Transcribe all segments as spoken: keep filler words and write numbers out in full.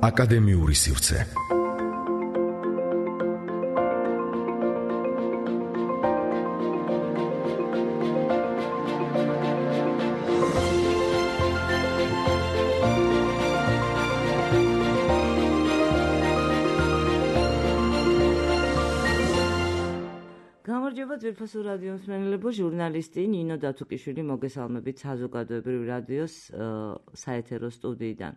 აკადემიური სივრცე. გამარჯობა ძვირფასო რადიო მსმენელებო, ჟურნალისტი ნინო დათუკიშვილი მოგესალმებით საზოგადოებრივი რადიოს საეთერო სტუდიიდან.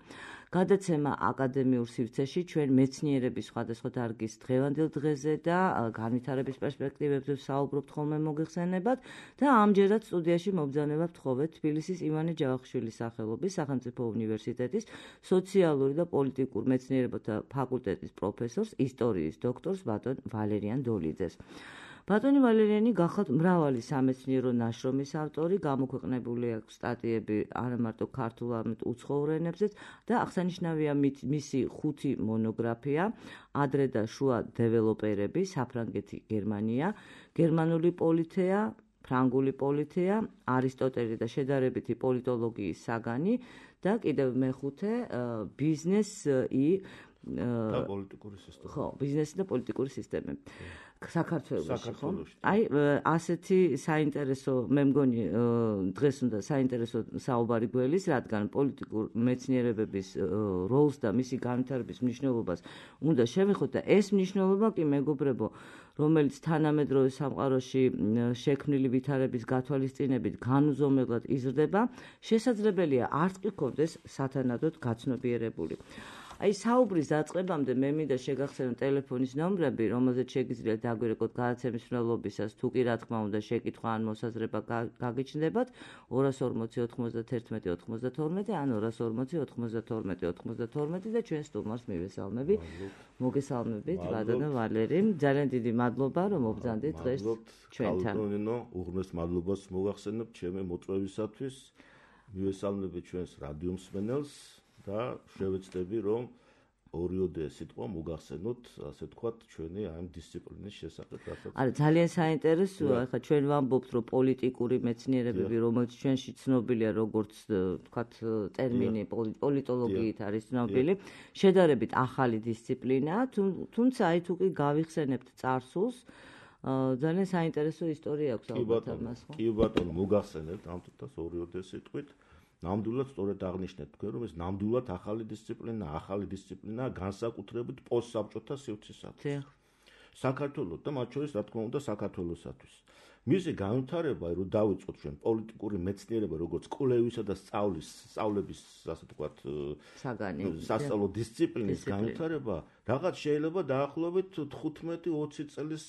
გადაცემა აკადემიურ სივრცეში ჩვენ მეცნიერების სხვადასხვა დარგის დღევანდელ დღეზე და განვითარების პერსპექტივებზე ვსაუბრობთ ხოლმე მოგეხსენებათ და ამჯერად სტუდიაში მობრძანება ვთხოვეთ თბილისის ივანე ჯავახიშვილის სახელობის სახელმწიფო უნივერსიტეტის სოციალური და პოლიტიკურ მეცნიერებათა ფაკულტეტის პროფესორს, ისტორიის დოქტორს ბატონ ვალერიან დოლიძეს. ბატონი ვალერიანი გახლავთ მრავალი სამეცნიერო ნაშრომის ავტორი, გამოქვეყნებული აქვს სტატიები არა მარტო ქართულ, არამედ უცხოურ ენებზეც და აღსანიშნავია მისი ხუთი მონოგრაფია, ადრე და შუა დეველოპერები, საფრანგეთი, გერმანია, გერმანული პოლითეა, ფრანგული პოლითეა, არისტოტელი და შედარებითი პოლიტოლოგიის საგანი და კიდევ მეხუთე ბიზნესი და პოლიტიკური სისტემა. ხო, ბიზნესი და პოლიტიკური სისტემები. საქართველოში, ხო? აი, ასეთი საინტერესო, მე მგონი, დღეს უნდა საინტერესო საუბარი გველის, რადგან პოლიტიკურ მეცნიერებების როლს და მისი განვითარების მნიშვნელობას უნდა შევეხოთ და ეს მნიშვნელობა კი მეგობრებო, რომელიც თანამედროვე სამყაროში შექმნილი ვითარების გათვალისწინებით განუზომებლად იზრდება, შესაძლებელია არც კი გქონდეს სათანადოდ გაცნობიერებული. აი საუბრის დაწყებამდე მე მინდა შეგახსენო ტელეფონის ნომრები, რომელზეც შეგიძლიათ დაგვირეკოთ გადაცემის მცდელობისას, თუ კი რა თქმა უნდა შეკითხვა ან მოსაზრება გაგიჩნდებათ ორას ორმოცი ოთხმოცდათერთმეტი ოთხმოცდათორმეტი ან ორას ორმოცი ოთხმოცდათორმეტი ოთხმოცდათორმეტი და ჩვენ სტუმარს მივესალმები. მოგესალმებით ბატონო ვალერი, ძალიან დიდი მადლობა რომ მობრძანდით დღეს ჩვენთან. ბატონო, უღრმეს მადლობას მოგახსენებ ჩემი მოწვევისათვის. მივესალმები ჩვენს რადიო მსმენელს. და შევეცდები რომ ორიოდე სიტყვა მოგახსენოთ, ასე თქვათ, ჩვენი ამ დისციპლინის შესახებ, რასაც არა, ძალიან საინტერესოა, ახლა ჩვენ ვამბობთ, რომ პოლიტიკური მეცნიერებები, რომელიც ჩვენში ცნობილია როგორც, თქვათ, ტერმინი პოლიტოლოგიით არის ცნობილი, შედარებით ახალი დისციპლინაა, თუმცა აი თუ კი გავიხსენებთ წარსულს, ძალიან საინტერესო ისტორია აქვს ალბათ ამას, ხო? კი ბატონო, მოგახსენებთ ამ თითქოს ორიოდე სიტყვით. ნამდვილად სწორედ აღნიშნეთ თქვენ, რომ ეს ნამდვილად ახალი დისციპლინა, ახალი დისციპლინაა განსაკუთრებით პოსტსაბჭოთა სივრცისათვის. საქართველოს და მათ შორის, რა თქმა უნდა, საქართველოსათვის. მისი განვითარება, რომ დავიწყოთ ჩვენ პოლიტიკური მეცნიერება, როგორც კვლევისა და სწავლის, სწავლების, ასე ვთქვათ, საგანი, სასწავლო დისციპლინის განვითარება, რაღაც შეიძლება დაახლოებით თხუთმეტი ოცი წლის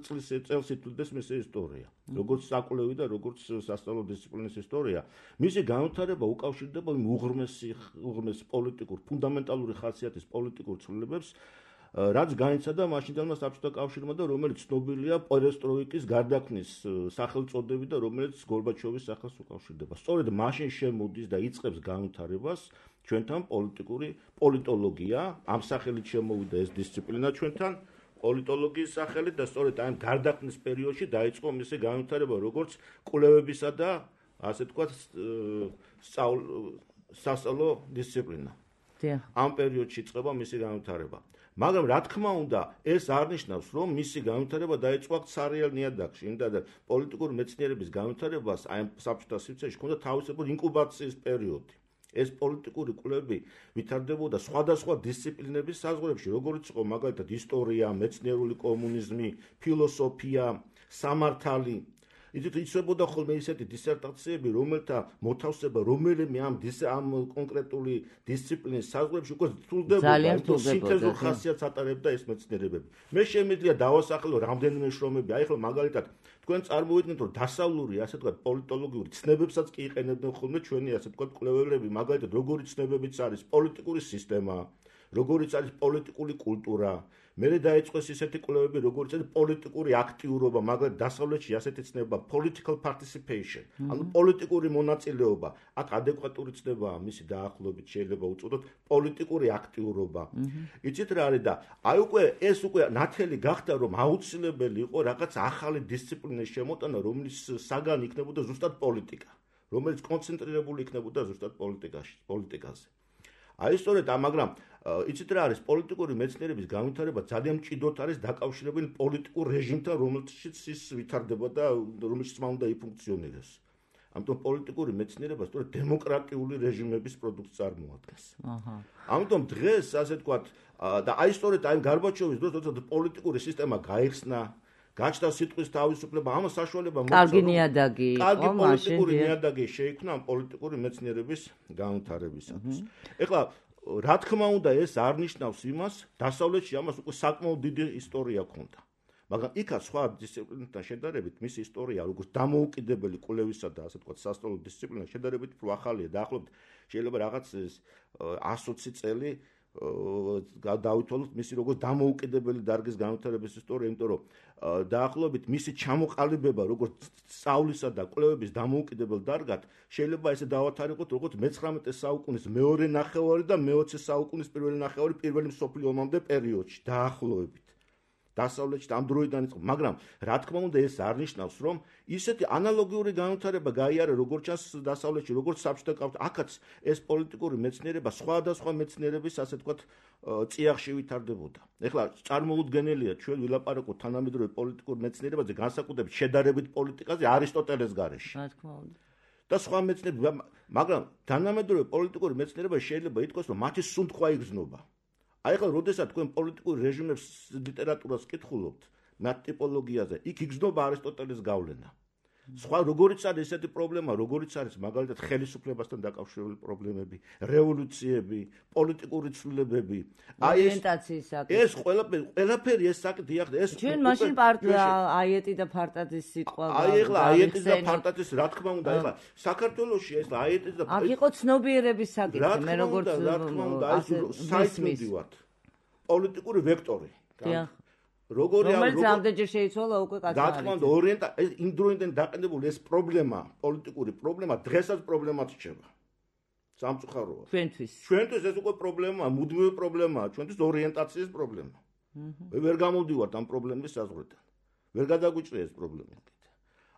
წლის წელს ითვლდეს მისი ისტორია. როგორც საკვლევი და როგორც სასწავლო დისციპლინის ისტორია. მისი განვითარება უკავშირდება იმ უღრმესი უღრმეს პოლიტიკურ, ფუნდამენტალური ხასიათის პოლიტიკურ ცვლილებებს, რაც განიცადა მაშინდელმა საბჭოთა კავშირმა და რომელიც ცნობილია პერესტროიკის გარდაქმნის სახელწოდებით და რომელიც გორბაჩოვის სახელს უკავშირდება. სწორედ მაშინ შემოდის და იწყებს განვითარებას ჩვენთან პოლიტიკური პოლიტოლოგია, ამ სახელით შემოვიდა ეს დისციპლინა ჩვენთან პოლიტოლოგიის სახელით და სწორედ ამ გარდაქმნის პერიოდში დაიწყო მისი განვითარება როგორც კვლევებისა და ასე თქვათ სასწავლო დისციპლინა. ამ პერიოდში იწყება მისი განვითარება. მაგრამ რა თქმა უნდა, ეს არ ნიშნავს, რომ მისი განვითარება დაიწყო აქ ცარიელ ნიადაგში, იმდადა პოლიტიკური მეცნიერების განვითარებას აი საბჭოთა სივრცეში ჰქონდა თავისებური ინკუბაციის პერიოდი. ეს პოლიტიკური კვლევები ვითარდებოდა სხვადასხვა დისციპლინების საზღვრებში, როგორც იყო მაგალითად ისტორია, მეცნიერული კომუნიზმი, ფილოსოფია, სამართალი. იცით, იცვლებოდა ხოლმე ისეთი დისერტაციები, რომელთა მოთავსება რომელიმე ამ ამ კონკრეტული დისციპლინის საზღვრებში უკვე თულდებოდა, სინთეზურ ხასიათს ატარებდა ეს მეცნიერებები. მე შემიძლია დავასახელო რამდენიმე შრომები, აი ხოლმე მაგალითად თქვენ წარმოვიდგინეთ, რომ დასავლური, ასე ვთქვათ, პოლიტოლოგიური ცნებებსაც კი იყენებდნენ ხოლმე ჩვენი, ასე ვთქვათ, კვლევარები, მაგალითად როგორი ცნებებიც არის პოლიტიკური სისტემა, როგორიც არის პოლიტიკური კულტურა. მერე დაიწყეს ისეთი კვლევები, როგორც არის პოლიტიკური აქტიურობა, მაგრამ დასავლეთში ასეთი ცნება political participation, ანუ პოლიტიკური მონაწილეობა. აქ ადეკვატური ცნებაა მისი დაახლოებით შეიძლება უწოდოთ პოლიტიკური აქტიურობა. იცით რა არის და აი უკვე ეს უკვე ნათელი გახდა, რომ აუცილებელი იყო რაღაც ახალი დისციპლინის შემოტანა, რომლის საგანი იქნებოდა ზუსტად პოლიტიკა, რომელიც კონცენტრირებული იქნებოდა ზუსტად პოლიტიკაში, პოლიტიკაზე. აი სწორედ ამ მაგრამ იცით რა არის პოლიტიკური მეცნიერების განვითარება ძალიან მჭიდროდ არის დაკავშირებული პოლიტიკურ რეჟიმთან, რომელშიც ის ვითარდება და რომელშიც მან უნდა იფუნქციონირდეს. ამიტომ პოლიტიკური მეცნიერება სწორედ დემოკრატიული რეჟიმების პროდუქტს წარმოადგენს. აჰა. ამიტომ დღეს ასე ვთქვათ და აი სწორედ აი გარბაჩოვის დროს როცა პოლიტიკური სისტემა გაიხსნა, გაჩნდა სიტყვის თავისუფლება, ამას საშუალება მოაწყო. კარგი ნიადაგი იყო, კარგი პოლიტიკური ნიადაგი შეიქმნა პოლიტიკური მეცნიერების განვითარებისათვის. ეხლა რა თქმა უნდა ეს არ ნიშნავს იმას, დასავლეთში ამას უკვე საკმაოდ დიდი ისტორია ჰქონდა. მაგრამ იქაც სხვა დისციპლინებთან შედარებით მისი ისტორია როგორც დამოუკიდებელი კვლევისა და ასე ვთქვათ სასწავლო დისციპლინა შედარებით უფრო ახალია. დაახლოებით შეიძლება რაღაც ათი წელი დავითვალოთ მისი როგორც დამოუკიდებელი დარგის განვითარების ისტორია, იმიტომ რომ დაახლოებით მისი ჩამოყალიბება როგორც სწავლისა და კვლევების დამოუკიდებელ დარგად შეიძლება ესე დავათარიღოთ როგორც მეცხრამეტე საუკუნის მეორე ნახევარი და მეოცე საუკუნის პირველი ნახევარი პირველი მსოფლიო ომამდე პერიოდში დაახლოებით. დასავლეთში ამ დროიდან იწყო, მაგრამ რა თქმა უნდა ეს არ ნიშნავს, რომ ისეთი ანალოგიური განვითარება გაიარა როგორც ჩანს დასავლეთში, როგორც საბჭოთა კავშირში, აქაც ეს პოლიტიკური მეცნიერება სხვადასხვა მეცნიერების ასე ვთქვათ წიაღში ვითარდებოდა. ეხლა წარმოუდგენელია ჩვენ ვილაპარაკოთ თანამედროვე პოლიტიკურ მეცნიერებაზე, განსაკუთრებით შედარებით პოლიტიკაზე არისტოტელეს გარეშე. რა თქმა უნდა. და სხვა მეცნიერები, მაგრამ თანამედროვე პოლიტიკური მეცნიერება შეიძლება ითქვას, რომ მათი სუნთქვა იგრძნობა. აი ახლა როდესაც თქვენ პოლიტიკურ რეჟიმებს ლიტერატურას კითხულობთ, მათ ტიპოლოგიაზე, იქ იგრძნობა არისტოტელეს გავლენა. სხვა როგორიც არის ესეთი პრობლემა, როგორიც არის მაგალითად ხელისუფლებასთან დაკავშირებული პრობლემები, რევოლუციები, პოლიტიკური ცვლილებები, აი ორიენტაციის საკითხი. ეს ყველაფერი, ყველაფერი ეს საკითხი ახლა ეს ჩვენ მაშინ პარტია აიეტი და ფარტაძის სიტყვა. აი ახლა აიეტი და ფარტაძის რა თქმა უნდა, ახლა საქართველოში ეს აიეტი და აქ იყო ცნობიერების საკითხი, მე როგორც რა თქმა უნდა, აი საერთოდ ვართ. პოლიტიკური ვექტორი. დიახ. როგორი არის რომელიც ამდენჯერ შეიცვალა უკვე კაცი. რა თქმა უნდა, ორიენტა ეს იმ დროიდან დაყენებული ეს პრობლემა, პოლიტიკური პრობლემა დღესაც პრობლემად რჩება. სამწუხაროა. ჩვენთვის. ჩვენთვის ეს უკვე პრობლემაა, მუდმივი პრობლემაა, ჩვენთვის ორიენტაციის პრობლემა. მე ვერ გამოვდივართ ამ პრობლემის საზღვრიდან. ვერ გადაგვიჭრია ეს პრობლემა.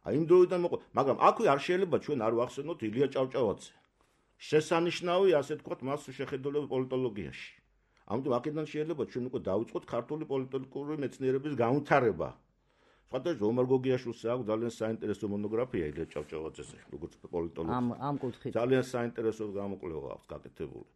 აი იმ დროიდან მოყვა, მაგრამ აქვე არ შეიძლება ჩვენ არ ვახსენოთ ილია ჭავჭავაძე. შესანიშნავი, ასე ვთქვათ, მას შეხედულება პოლიტოლოგიაში. ამიტომ აქედან შეიძლება ჩვენ უკვე დავიწყოთ ქართული პოლიტიკური მეცნიერების განვითარება. სხვადასხვა ომარ გოგიაშვილს აქვს ძალიან საინტერესო მონოგრაფია ილია ჭავჭავაძეზე, როგორც პოლიტოლოგი. ამ ამ კუთხით ძალიან საინტერესო გამოკვლევა აქვს გაკეთებული.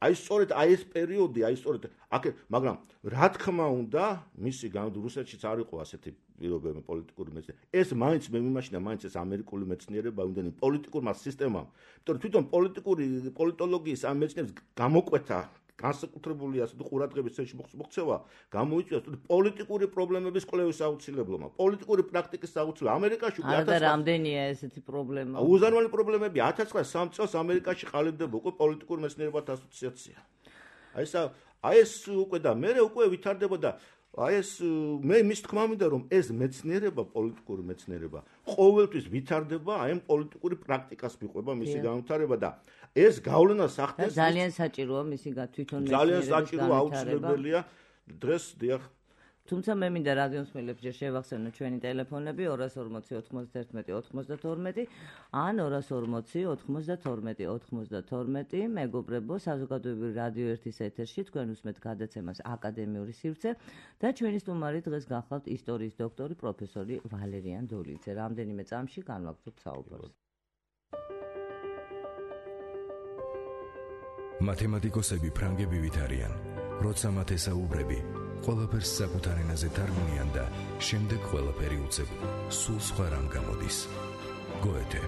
აი სწორედ აი ეს პერიოდი, აი სწორედ აქ, მაგრამ რა თქმა უნდა, მისი რუსეთშიც არ იყო ასეთი პირობები პოლიტიკური მეცნიერება. ეს მაინც მე მიმაშინა, მაინც ეს ამერიკული მეცნიერება, იმდენი პოლიტიკურმა სისტემამ. იმიტომ რომ თვითონ პოლიტიკური პოლიტოლოგიის ამ მეცნიერების გამოკვეთა განსაკუთრებული ასეთი ყურადღების ცენტრში მოქცევა გამოიწვია პოლიტიკური პრობლემების კვლევის აუცილებლობა, პოლიტიკური პრაქტიკის აუცილებლობა. ამერიკაში უკვე ათას რამდენია ესეთი პრობლემა? უზარმაზარი პრობლემები ათას ცხრაასი წელს ამერიკაში ყალიბდება უკვე პოლიტიკურ მეცნიერებათა ასოციაცია. აი ეს აი ეს უკვე და მე უკვე ვითარდება და აი ეს მე მის თქმა მინდა რომ ეს მეცნიერება, პოლიტიკური მეცნიერება ყოველთვის ვითარდება აი ამ პოლიტიკური პრაქტიკას მიყვება მისი განვითარება და ეს გავლენა სახდენს ძალიან საჭიროა მისი თვითონ მეცნიერების ძალიან საჭიროა, აუცილებელია დღეს დიახ. თუმცა მე მინდა რადიოსმენელებს ჯერ შევახსენო ჩვენი ტელეფონები ორას ორმოცი ოთხმოცდაერთმეტი ოთხმოცდათორმეტი ან ორას ორმოცი ოთხმოცდათორმეტი ოთხმოცდათორმეტი. მეგობრებო, საზოგადოებრივი რადიო ერთის ეთერში თქვენ უსმენთ გადაცემას აკადემიური სივრცე და ჩვენი სტუმარი დღეს გახლავთ ისტორიის დოქტორი პროფესორი ვალერიან დოლიძე. რამდენიმე წამში განვაგრძობთ საუბარს. მათემატიკოსები ფრანგები ვით არიან, როცა მათ ესაუბრები, ყველაფერს საკუთარ ენაზე თარგმნიან და შემდეგ ყველაფერი უცებ სულ სხვა რამ გამოდის. გოეთე.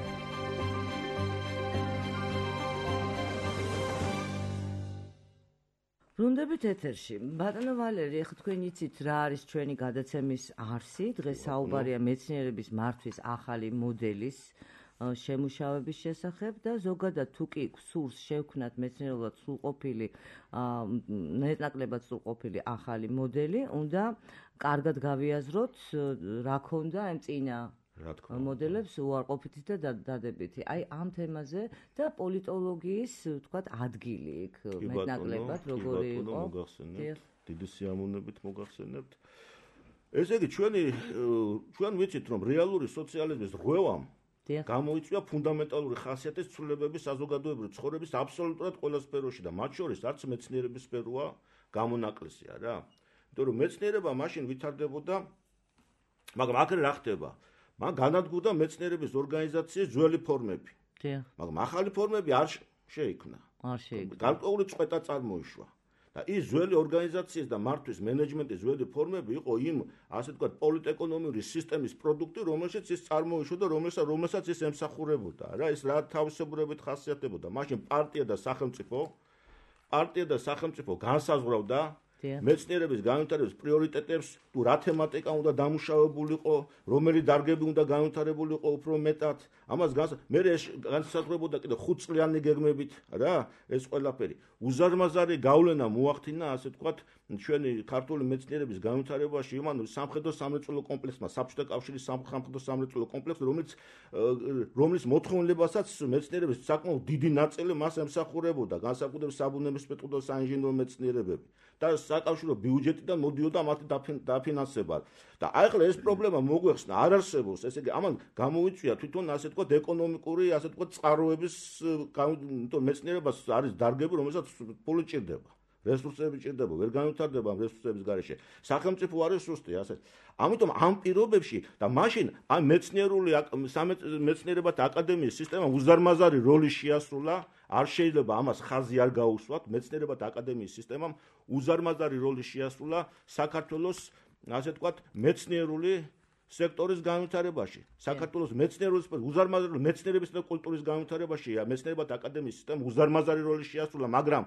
ბრუნდებით ეთერში. ბატონო ვალერი, ახლა თქვენ იცით რა არის ჩვენი გადაცემის არსი? დღეს საუბარია მეცნიერების მართვის ახალი მოდელის შემუშავების შესახებ და ზოგადად თუ კი სურს შევქმნათ მეცნიერულად სრულყოფილი, ნეტნაკლებად სრულყოფილი ახალი მოდელი, უნდა კარგად გავიაზროთ რა ქონდა ამ წინა მოდელებს უარყოფითი და დადებითი. აი ამ თემაზე და პოლიტოლოგიის, ვთქვათ, ადგილი იქ მეტნაკლებად როგორი იყო? დიდი სიამოვნებით მოგახსენებთ. ესე იგი ჩვენი ჩვენ ვიცით რომ რეალური სოციალიზმის რღვევამ გამოიწვია ფუნდამენტალური ხასიათის ცვლილებების საზოგადოებრივი ცხოვრების აბსოლუტურად ყველა სფეროში და მათ შორის არც მეცნიერების სფეროა გამონაკლისია რა. იმიტომ რომ მეცნიერება მაშინ ვითარდებოდა, მაგრამ აქ რა ხდება? მან განადგურდა მეცნიერების ორგანიზაციის ძველი ფორმები. მაგრამ ახალი ფორმები არ შეიქმნა. არ შეიქმნა. გარკვეული წყვეტა წარმოიშვა. და ის ძველი ორგანიზაციის და მართვის მენეჯმენტის ძველი ფორმები იყო იმ, ასე ვთქვათ, პოლიტეკონომიური სისტემის პროდუქტი, რომელშიც ის წარმოიშვა და რომელსაც რომელსაც ის ემსახურებოდა. რა ის რა თავისებურებით ხასიათდებოდა. მაშინ პარტია და სახელმწიფო, პარტია და სახელმწიფო განსაზღვრავდა მეცნიერების განვითარების პრიორიტეტებს, თუ რა თემატიკა უნდა დამუშავებულიყო, რომელი დარგები უნდა განვითარებულიყო უფრო მეტად. ამას მე განსაზღვრებოდა კიდე ხუთწლიანი გეგმებით, რა, ეს ყველაფერი. უზარმაზარი გავლენა მოახდინა, ასე ვთქვათ, ჩვენი ქართული მეცნიერების განვითარებაში, იმან სამხედრო სამრეწველო კომპლექსმა, საბჭოთა კავშირის სამხედრო სამრეწველო კომპლექსი, რომელიც რომლის მოთხოვნილებასაც მეცნიერების საკმაოდ დიდი ნაწილი მას ემსახურებოდა, განსაკუთრებით საბუნებისმეტყველო და საინჟინრო მეცნიერებები. და საკავშირო ბიუჯეტიდან მოდიოდა მათი დაფინანსება. და აი ახლა ეს პრობლემა მოგვეხსნა, არ არსებობს, ესე იგი ამან გამოიწვია თვითონ ასე ვთქვათ ეკონომიკური, ასე ვთქვათ წყაროების, იმიტომ მეცნიერებას არის დარგები, რომელსაც ფული ჭირდება. რესურსები ჭირდება, ვერ განვითარდება ამ რესურსების გარეშე. სახელმწიფო არის სუსტი, ასე. ამიტომ ამ პირობებში და მაშინ ამ მეცნიერული მეცნიერებათა აკადემიის სისტემამ უზარმაზარი როლი შეასრულა, არ შეიძლება ამას ხაზი არ გაუსვათ, მეცნიერებათა აკადემიის სისტემამ უზარმაზარი როლი შეასრულა საქართველოს, ასე ვთქვათ, მეცნიერული სექტორის განვითარებაში. საქართველოს მეცნიერული უზარმაზარი მეცნიერების და კულტურის განვითარებაში მეცნიერებათა აკადემიის სისტემამ უზარმაზარი როლი შეასრულა, მაგრამ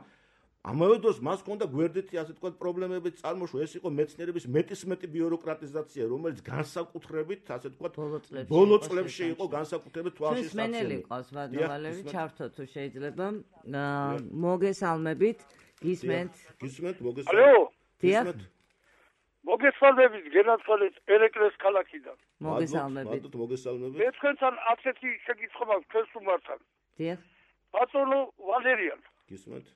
ამავე დროს მას ჰქონდა გვერდითი, ასე ვთქვათ, პრობლემები წარმოშვა. ეს იყო მეცნიერების მეტისმეტი ბიუროკრატიზაცია, რომელიც განსაკუთრებით, ასე ვთქვათ, ბოლო წლებში იყო განსაკუთრებით თვალში სტაციონარი. მენელი ყავს ვადმოვალევი, ჩართო თუ შეიძლება. მოგესალმებით, გისმენთ. გისმენთ, მოგესალმებით. დიახ. მოგესალმებით, გენათვალეთ ერეკლეს ქალაქიდან. მოგესალმებით. მოგესალმებით. მე თქვენთან ასეთი შეკითხვა მაქვს თქვენს უმართან. დიახ. ბატონო ვალერიან. გისმენთ.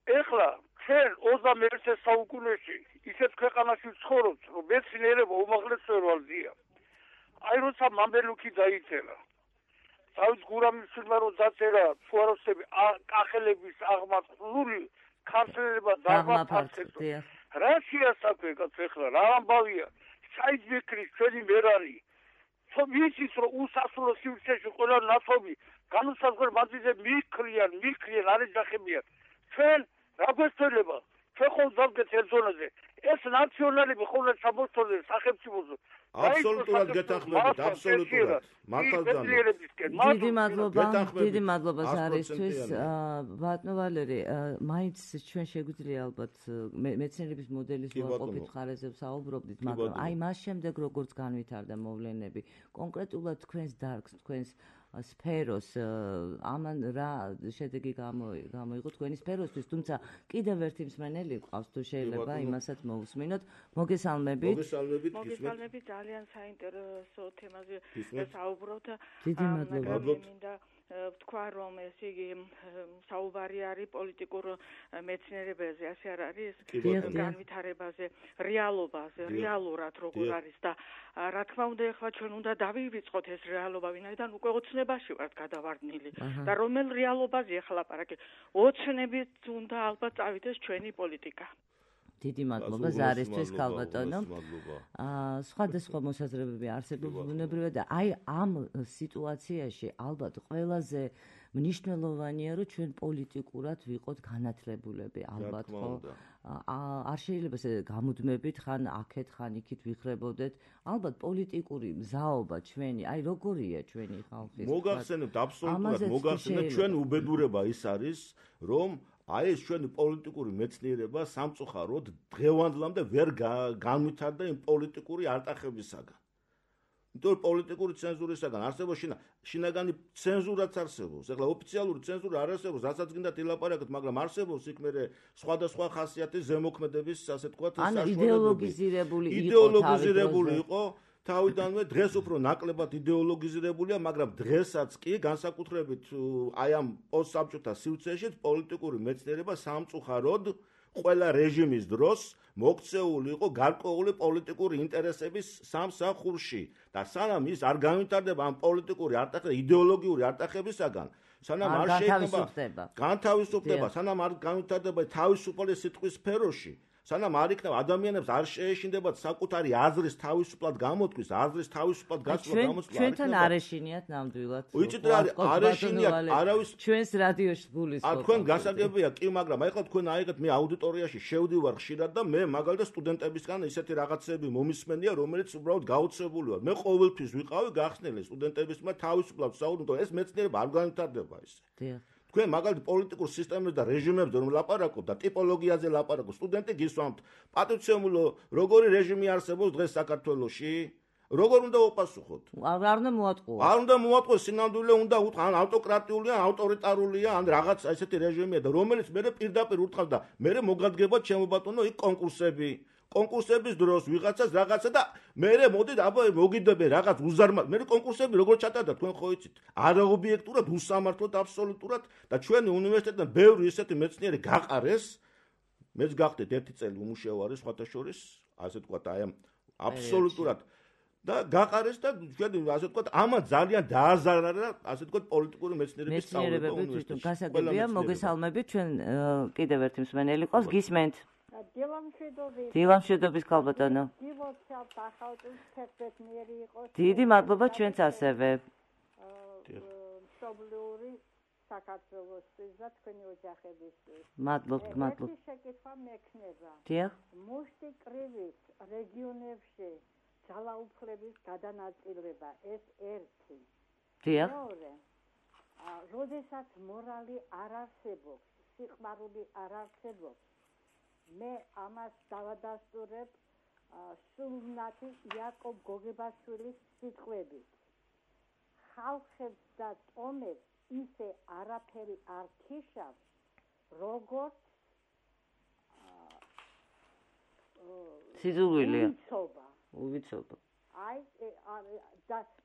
ეხლა ჩვენ ოცდამეერთე საუკუნეში ისეთ ქვეყანაში ვცხოვრობთ, რომ მეცნიერება უმაღლეს სერვალზია. აი როცა მამბელუქი დაიწერა, დავით გურამიშვილმა რო დაწერა ფუაროსები კახელების აღმაწვრული ქართველება დაღმაფარცეთო. რა შეასაკვე კაც ეხლა რა ამბავია? საიძმეკრის ჩვენი მერანი. ვიცით რომ უსასრულო სივრცეში ყველა ნათობი განუსაზღვრელ მანძილზე მიქრიან, მიქრიან, არ ეძახებიან. ჩვენ რა გვესწრება? ჩვენ ხომ დავდგეთ ერთ ზონაზე. ეს ნაციონალები ხოლმე სამოსტოზე სახელმწიფოზე. აბსოლუტურად გეთანხმებით, აბსოლუტურად. მართალია. დიდი მადლობა, დიდი მადლობა ზარისთვის. ბატონო ვალერი, მაინც ჩვენ შეგვიძლია ალბათ მეცნიერების მოდელის უარყოფით ხარეზე ვსაუბრობდით, მაგრამ აი მას შემდეგ როგორც განვითარდა მოვლენები, კონკრეტულად თქვენს დარგს, თქვენს სფეროს ამან რა შედეგი გამოიღო თქვენი სფეროსთვის, თუმცა კიდევ ერთი მსმენელი ყავს, თუ შეიძლება იმასაც მოусმინოთ. მოგესალმებით. მოგესალმებით, მოგესალმებით, ძალიან საინტერესო თემაზე საუბრობთ. დიდი მადლობა. მინდა ვთქვა, რომ ეს იგი საუბარი არის პოლიტიკურ მეცნიერებაზე, ასე არ არის, განვითარებაზე, რეალობაზე, რეალურად როგორ არის და რა თქმა უნდა, ეხლა ჩვენ უნდა დავივიწყოთ ეს რეალობა, ვინაიდან უკვე ოცნებაში ვართ გადავარდნილი და რომელ რეალობაზე ახლა ლაპარაკი? ოცნებით უნდა ალბათ წავიდეს ჩვენი პოლიტიკა. დიდი მადლობა ზარისთვის, ქალბატონო. აა სხვადასხვა მოსაზრებები არსებობს ბუნებრივად და აი ამ სიტუაციაში ალბათ ყველაზე მნიშვნელოვანია, რომ ჩვენ პოლიტიკურად ვიყოთ განათლებულები, ალბათ ხო? არ შეიძლება ესე გამუდმებით ხან აქეთ, ხან იქით ვიხრებოდეთ. ალბათ პოლიტიკური მზაობა ჩვენი, აი როგორია ჩვენი ხალხის? მოგახსენებთ, აბსოლუტურად მოგახსენებთ, ჩვენ უბედურება ის არის, რომ აი ეს ჩვენი პოლიტიკური მეცნიერება სამწუხაროდ დღევანდლამდე ვერ განვითარდა იმ პოლიტიკური არტახებისაგან. იმიტომ რომ პოლიტიკური ცენზურისაგან არსებობს შინაგანი ცენზურაც არსებობს. ეხლა ოფიციალური ცენზურა არ არსებობს, რასაც გინდათ ილაპარაკოთ, მაგრამ არსებობს იქ მერე სხვადასხვა ხასიათის ზემოქმედების, ასე ვთქვათ, საშუალებები. იდეოლოგიზირებული იყო, იდეოლოგიზირებული იყო. თავიდანვე დღეს უფრო ნაკლებად იდეოლოგიზირებულია, მაგრამ დღესაც კი განსაკუთრებით აი ამ პოსტსაბჭოთა სივრცეში პოლიტიკური მეცნიერება სამწუხაროდ ყველა რეჟიმის დროს მოქცეული იყო გარკვეული პოლიტიკური ინტერესების სამსახურში და სანამ ის არ განვითარდება ამ პოლიტიკური არტახების იდეოლოგიური არტახებისაგან სანამ არ შეიქმნება განთავისუფლდება სანამ არ განვითარდება თავისუფალი სიტყვის სფეროში სანამ არ იქნება ადამიანებს არ შეეშინდებათ საკუთარი აზრის თავისუფლად გამოთქმის, აზრის თავისუფლად გაცნობა გამოცდილება. ჩვენთან არ ეშინიათ ნამდვილად. ვიცით რა არ ეშინიათ, არავის ჩვენს რადიოში გულისხმობ. ა თქვენ გასაგებია კი, მაგრამ აი ხა თქვენ აიღეთ მე აუდიტორიაში შევდივარ ხშირად და მე მაგალითად სტუდენტებისგან ისეთი რაღაცები მომისმენია, რომელიც უბრალოდ გაოცებული ვარ. მე ყოველთვის ვიყავი გახსნილი სტუდენტებისმა თავისუფლად საუბრობ, ეს მეცნიერება არ განვითარდება ისე. დიახ. თქვენ მაგალითად პოლიტიკურ სისტემებზე და რეჟიმებზე რომ ლაპარაკობ და ტიპოლოგიაზე ლაპარაკობ, სტუდენტი გისვამთ, პატივცემულო, როგორი რეჟიმი არსებობს დღეს საქართველოში? როგორ უნდა უპასუხოთ? არ უნდა მოატყუო. არ უნდა მოატყუო, სინამდვილე უნდა უთხრა, ან ავტოკრატიულია, ან ავტორიტარულია, ან რაღაც ესეთი რეჟიმია და რომელიც მე პირდაპირ ურტყავს და მე მოგადგება ჩემო ბატონო იქ კონკურსები. კონკურსების დროს ვიღაცას რაღაცა და მე მოდით აბა მოგიდები რაღაც უზარმაზ მე კონკურსები როგორ ჩატარდა თქვენ ხო იცით არაობიექტურად უსამართლოდ აბსოლუტურად და ჩვენი უნივერსიტეტიდან ბევრი ისეთი მეცნიერი გაყარეს მეც გახდეთ ერთი წელი უმუშევარი სხვათა შორის ასე თქვა აი ამ აბსოლუტურად და გაყარეს და ჩვენ ასე თქვა ამან ძალიან დააზარა და ასე თქვა პოლიტიკური მეცნიერების სწავლება უნივერსიტეტში გასაგებია მოგესალმებით ჩვენ კიდევ ერთი მსმენელი ყავს გისმენთ დილამშვიდობის ქალბატონო. დიდი მადლობა ჩვენც ასევე. მშობლიური საქართველოსთვის და თქვენი ოჯახებისთვის. მადლობთ, მადლობთ. ერთი შეკითხვა მექნება. დიახ. მუშტი კრივით რეგიონებში ძალაუფლების გადანაწილება ეს ერთი. დიახ. მეორე. როდესაც მორალი არ არსებობს, სიყვარული არ არსებობს მე ამას დავადასტურებ სულნათი იაკობ გოგებაშვილის სიტყვებით. ხალხებს და ტომებს ისე არაფერი არ ქიშავს, როგორც სიძულვილია. უვიცობა. უვიცობა. აი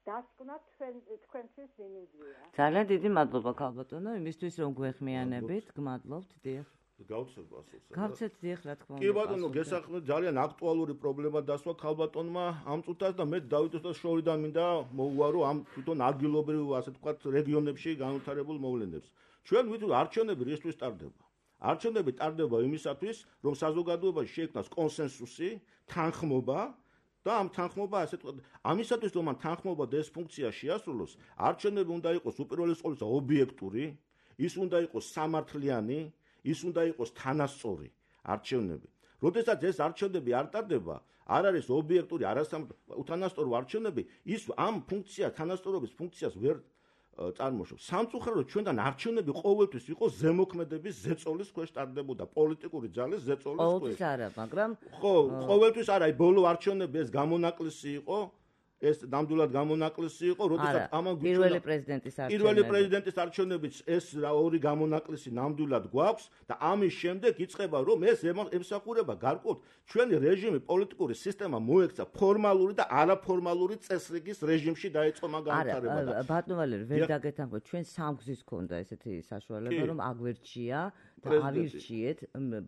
დასკვნა თქვენთვის მინიმზია. ძალიან დიდი მადლობა ქალბატონო, იმისთვის რომ გვეხმიანებით, გმადლობთ, დიახ. გავცემ ასულს. გავცეთ დიახ, რა თქმა უნდა. კი ბატონო, გესახმეთ ძალიან აქტუალური პრობლემა დასვა ქალბატონმა ამ წუთას და მე დავითოსთან შორიდან მინდა მოუვარო ამ თვითონ ადგილობრივ ასე თქვათ რეგიონებში განვითარებულ მოვლენებს. ჩვენ ვიტყვი არჩევნები რისთვის ტარდება? არჩევნები ტარდება იმისათვის, რომ საზოგადოებაში შეიქმნას კონსენსუსი, თანხმობა და ამ თანხმობა ასე თქვათ, ამისათვის რომ ამ თანხმობა და ეს ფუნქცია შეასრულოს, არჩევნები უნდა იყოს უპირველეს ყოვლისა ობიექტური, ის უნდა იყოს სამართლიანი ის უნდა იყოს თანასწორი არჩევნები. როდესაც ეს არჩევნები არ ტარდება, არ არის ობიექტური, არასამართლიანი არჩევნები, ის ამ ფუნქციას, თანასწორობის ფუნქციას ვერ წარმოშობს. სამწუხაროდ ჩვენთან არჩევნები ყოველთვის იყო ზემოქმედების ზეწოლის ქვეშ ტარდებოდა, პოლიტიკური ძალის ზეწოლის ქვეშ. ყოველთვის არა, მაგრამ ხო, ყოველთვის არა, ბოლო არჩევნები ეს გამონაკლისი იყო. ეს ნამდვილად გამონაკლისი იყო, როდესაც ამან გვიჩვენა პირველი პრეზიდენტის არჩევნები. პირველი პრეზიდენტის არჩევნებიც ეს ორი გამონაკლისი ნამდვილად გვაქვს და ამის შემდეგ იწყება რომ ეს ემსახურება გარკვეულ ჩვენი რეჟიმი, პოლიტიკური სისტემა მოექცა ფორმალური და არაფორმალური წესრიგის რეჟიმში დაიწყო მაგ განვითარება და არა, ბატონო ვალერი, ვერ დაგეთანხმოთ, ჩვენ სამგზის ქონდა ესეთი საშუალება, რომ აგვერჩია და ავირჩიეთ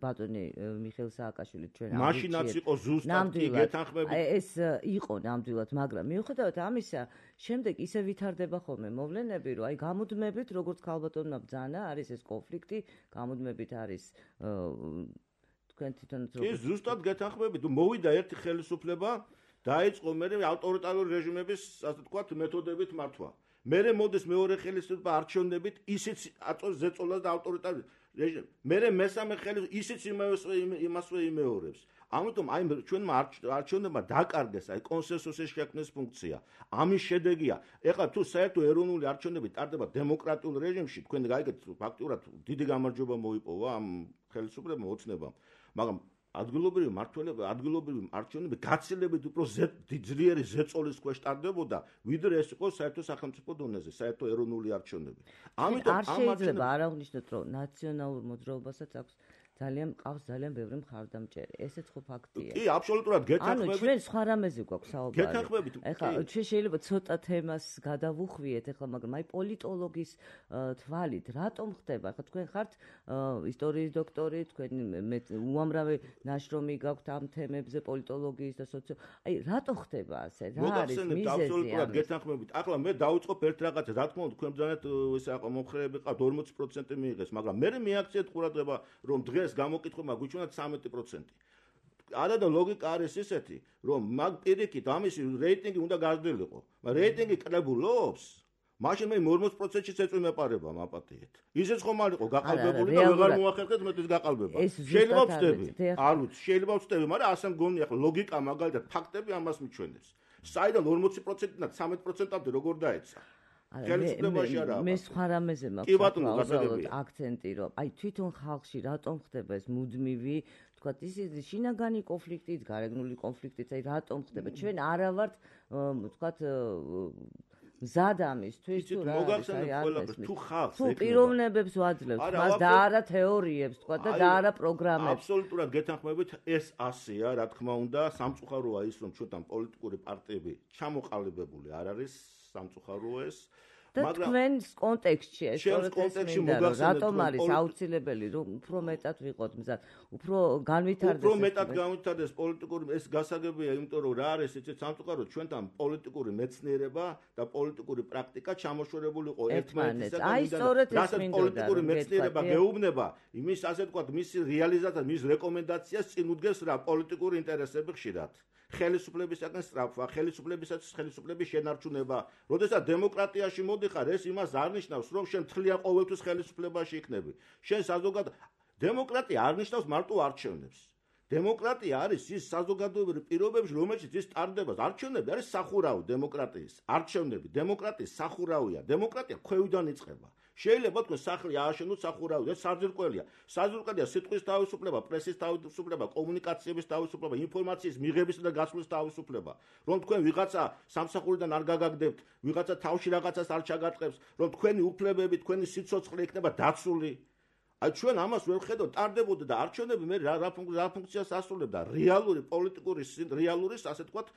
ბატონი მიხეილ სააკაშვილი ჩვენ ავირჩიეთ. მაშინაც იყო ზუსტად კი გეთანხმებით. ეს იყო ნამდვილად, მაგრამ მიუხედავად ამისა, შემდეგ ისე ვითარდება ხოლმე მოვლენები, რომ აი გამუდმებით, როგორც ქალბატონმა ბრძანა, არის ეს კონფლიქტი, გამუდმებით არის თქვენ თვითონაც როგორ კი ზუსტად გეთანხმებით, მოვიდა ერთი ხელისუფლება, დაიწყო მე ავტორიტარული რეჟიმების, ასე ვთქვათ, მეთოდებით მართვა. მერე მოდის მეორე ხელისუფლება არჩევნებით, ისიც აწევს ზეწოლას და ავტორიტარული რეჟიმს. მერე მესამე ხელისუფლება ისიც იმასვე იმეორებს. ამიტომ აი ჩვენმა არჩევნებმა დაკარგეს აი კონსენსუსის შექმნის ფუნქცია. ამის შედეგია, ეხლა თუ საერთო ეროვნული არჩევნები ტარდება დემოკრატიულ რეჟიმში, თქვენ გაიგეთ ფაქტიურად დიდი გამარჯვება მოიპოვა ამ ხელისუფლებამ ოცნებამ, მაგრამ ადგილობრივი მმართველობა, ადგილობრივი არჩევნები გაცილებით უფრო ძლიერი ზეწოლის ქვეშ ტარდებოდა, ვიდრე ეს იყო საერთო სახელმწიფო დონეზე, საერთო ეროვნული არჩევნები. ამიტომ ამ შეიძლება არ აღნიშნოთ, რომ ნაციონალურ მოძრაობასაც აქვს ძალიან მყავს ძალიან ბევრი მხარდამჭერი. ესეც ხო ფაქტია. კი, აბსოლუტურად გეთანხმებით. ანუ ჩვენ სხვა რამეზე გვაქვს საუბარი. გეთანხმებით. ეხლა ჩვენ შეიძლება ცოტა თემას გადავუხვიეთ ეხლა, მაგრამ აი პოლიტოლოგის თვალით რატომ ხდება? ეხლა თქვენ ხართ ისტორიის დოქტორი, თქვენ უამრავი ნაშრომი გაქვთ ამ თემებზე პოლიტოლოგიის და სოციო. აი რატო ხდება ასე? რა არის მიზეზი? აბსოლუტურად გეთანხმებით. ახლა მე დავუწყობ ერთ რაღაცას, რა თქმა უნდა, თქვენ ბრძანეთ ესე აყო მომხრეები ყავთ ორმოცი პროცენტი მიიღეს, მაგრამ მე მეაქციეთ ყურადღება, რომ დღეს გამოკითხება გვიჩვენათ სამეტი პროცენტი. არა და ლოგიკა არის ისეთი, რომ მაგ პირიქით ამისი რეიტინგი უნდა გაზრდილიყო. მაგრამ რეიტინგი კლებულობს, მაშინ მე ორმოცი პროცენტშიც ეწვიმეპარება მაპატიეთ. ისეც ხომ არ იყო გაყალბებული და ვეღარ მოახერხეთ მეტის გაყალბება. შეიძლება ვწდები, არ ვიცი, შეიძლება ვწდები, მაგრამ ასე მგონია, ახლა ლოგიკა მაგალითად ფაქტები ამას მიჩვენებს. საიდან ორმოცი პროცენტიდან სამეტი პროცენტამდე როგორ დაეცა? მე სხვა რამეზე მაქვს აქცენტი, რომ აი თვითონ ხალხში რატომ ხდება ეს მუდმივი, თქვათ ისეთი შინაგანი კონფლიქტით, გარეგნული კონფლიქტით, აი რატომ ხდება? ჩვენ არა ვართ, თქვათ მზად ამისთვის, თუ რა არის, აი არ თუ ხალხს თუ პიროვნებებს ვაძლევთ, მას და არა თეორიებს, თქვათ და და არა პროგრამებს. აბსოლუტურად გეთანხმებით, ეს ასეა, რა თქმა უნდა, სამწუხაროა ის, რომ ჩვენთან პოლიტიკური პარტიები ჩამოყალიბებული არ არის, სამწუხაროა ეს. მაგრამ თქვენს კონტექსტში ეს კონტექსტში რატომ არის აუცილებელი რომ უფრო მეტად ვიყოთ მზად, უფრო განვითარდეს უფრო მეტად განვითარდეს პოლიტიკური ეს გასაგებია, იმიტომ რომ რა არის იცით სამწუხაროდ ჩვენთან პოლიტიკური მეცნიერება და პოლიტიკური პრაქტიკა ჩამოშორებული იყო ერთმანეთისგან. აი სწორედ ეს მინდოდა პოლიტიკური მეცნიერება გეუბნება იმის ასე ვთქვათ მისი რეალიზაციას, მის რეკომენდაციას წინ უდგეს რა პოლიტიკური ინტერესები ხშირად. ხელისუფლებისაგან სწრაფვა, ხელისუფლებისათვის ხელისუფლების შენარჩუნება. როდესაც დემოკრატიაში მოდიხარ, ეს იმას არ ნიშნავს, რომ შენ თლიან ყოველთვის ხელისუფლებაში იქნები. შენ საზოგადო დემოკრატია არ ნიშნავს მარტო არჩევნებს. დემოკრატია არის ის საზოგადოებრივი პირობებში, რომელშიც ის ტარდება. არჩევნები არის სახურავი დემოკრატიის. არჩევნები დემოკრატიის სახურავია. დემოკრატია ქვევიდან იწყება. შეიძლება თქვენ სახლი ააშენოთ სახურავი, ეს საძირკველია. საძირკველია სიტყვის თავისუფლება, პრესის თავისუფლება, კომუნიკაციების თავისუფლება, ინფორმაციის მიღების და გასვლის თავისუფლება. რომ თქვენ ვიღაცა სამსახურიდან არ გაგაგდებთ, ვიღაცა თავში რაღაცას არ ჩაგატყებს, რომ თქვენი უფლებები, თქვენი სიცოცხლე იქნება დაცული. აი ჩვენ ამას ვერ ვხედავთ, ტარდებოდა და არჩევნები მე რა რა ფუნქციას ასრულებდა? რეალური პოლიტიკური რეალური, ასე ვთქვათ,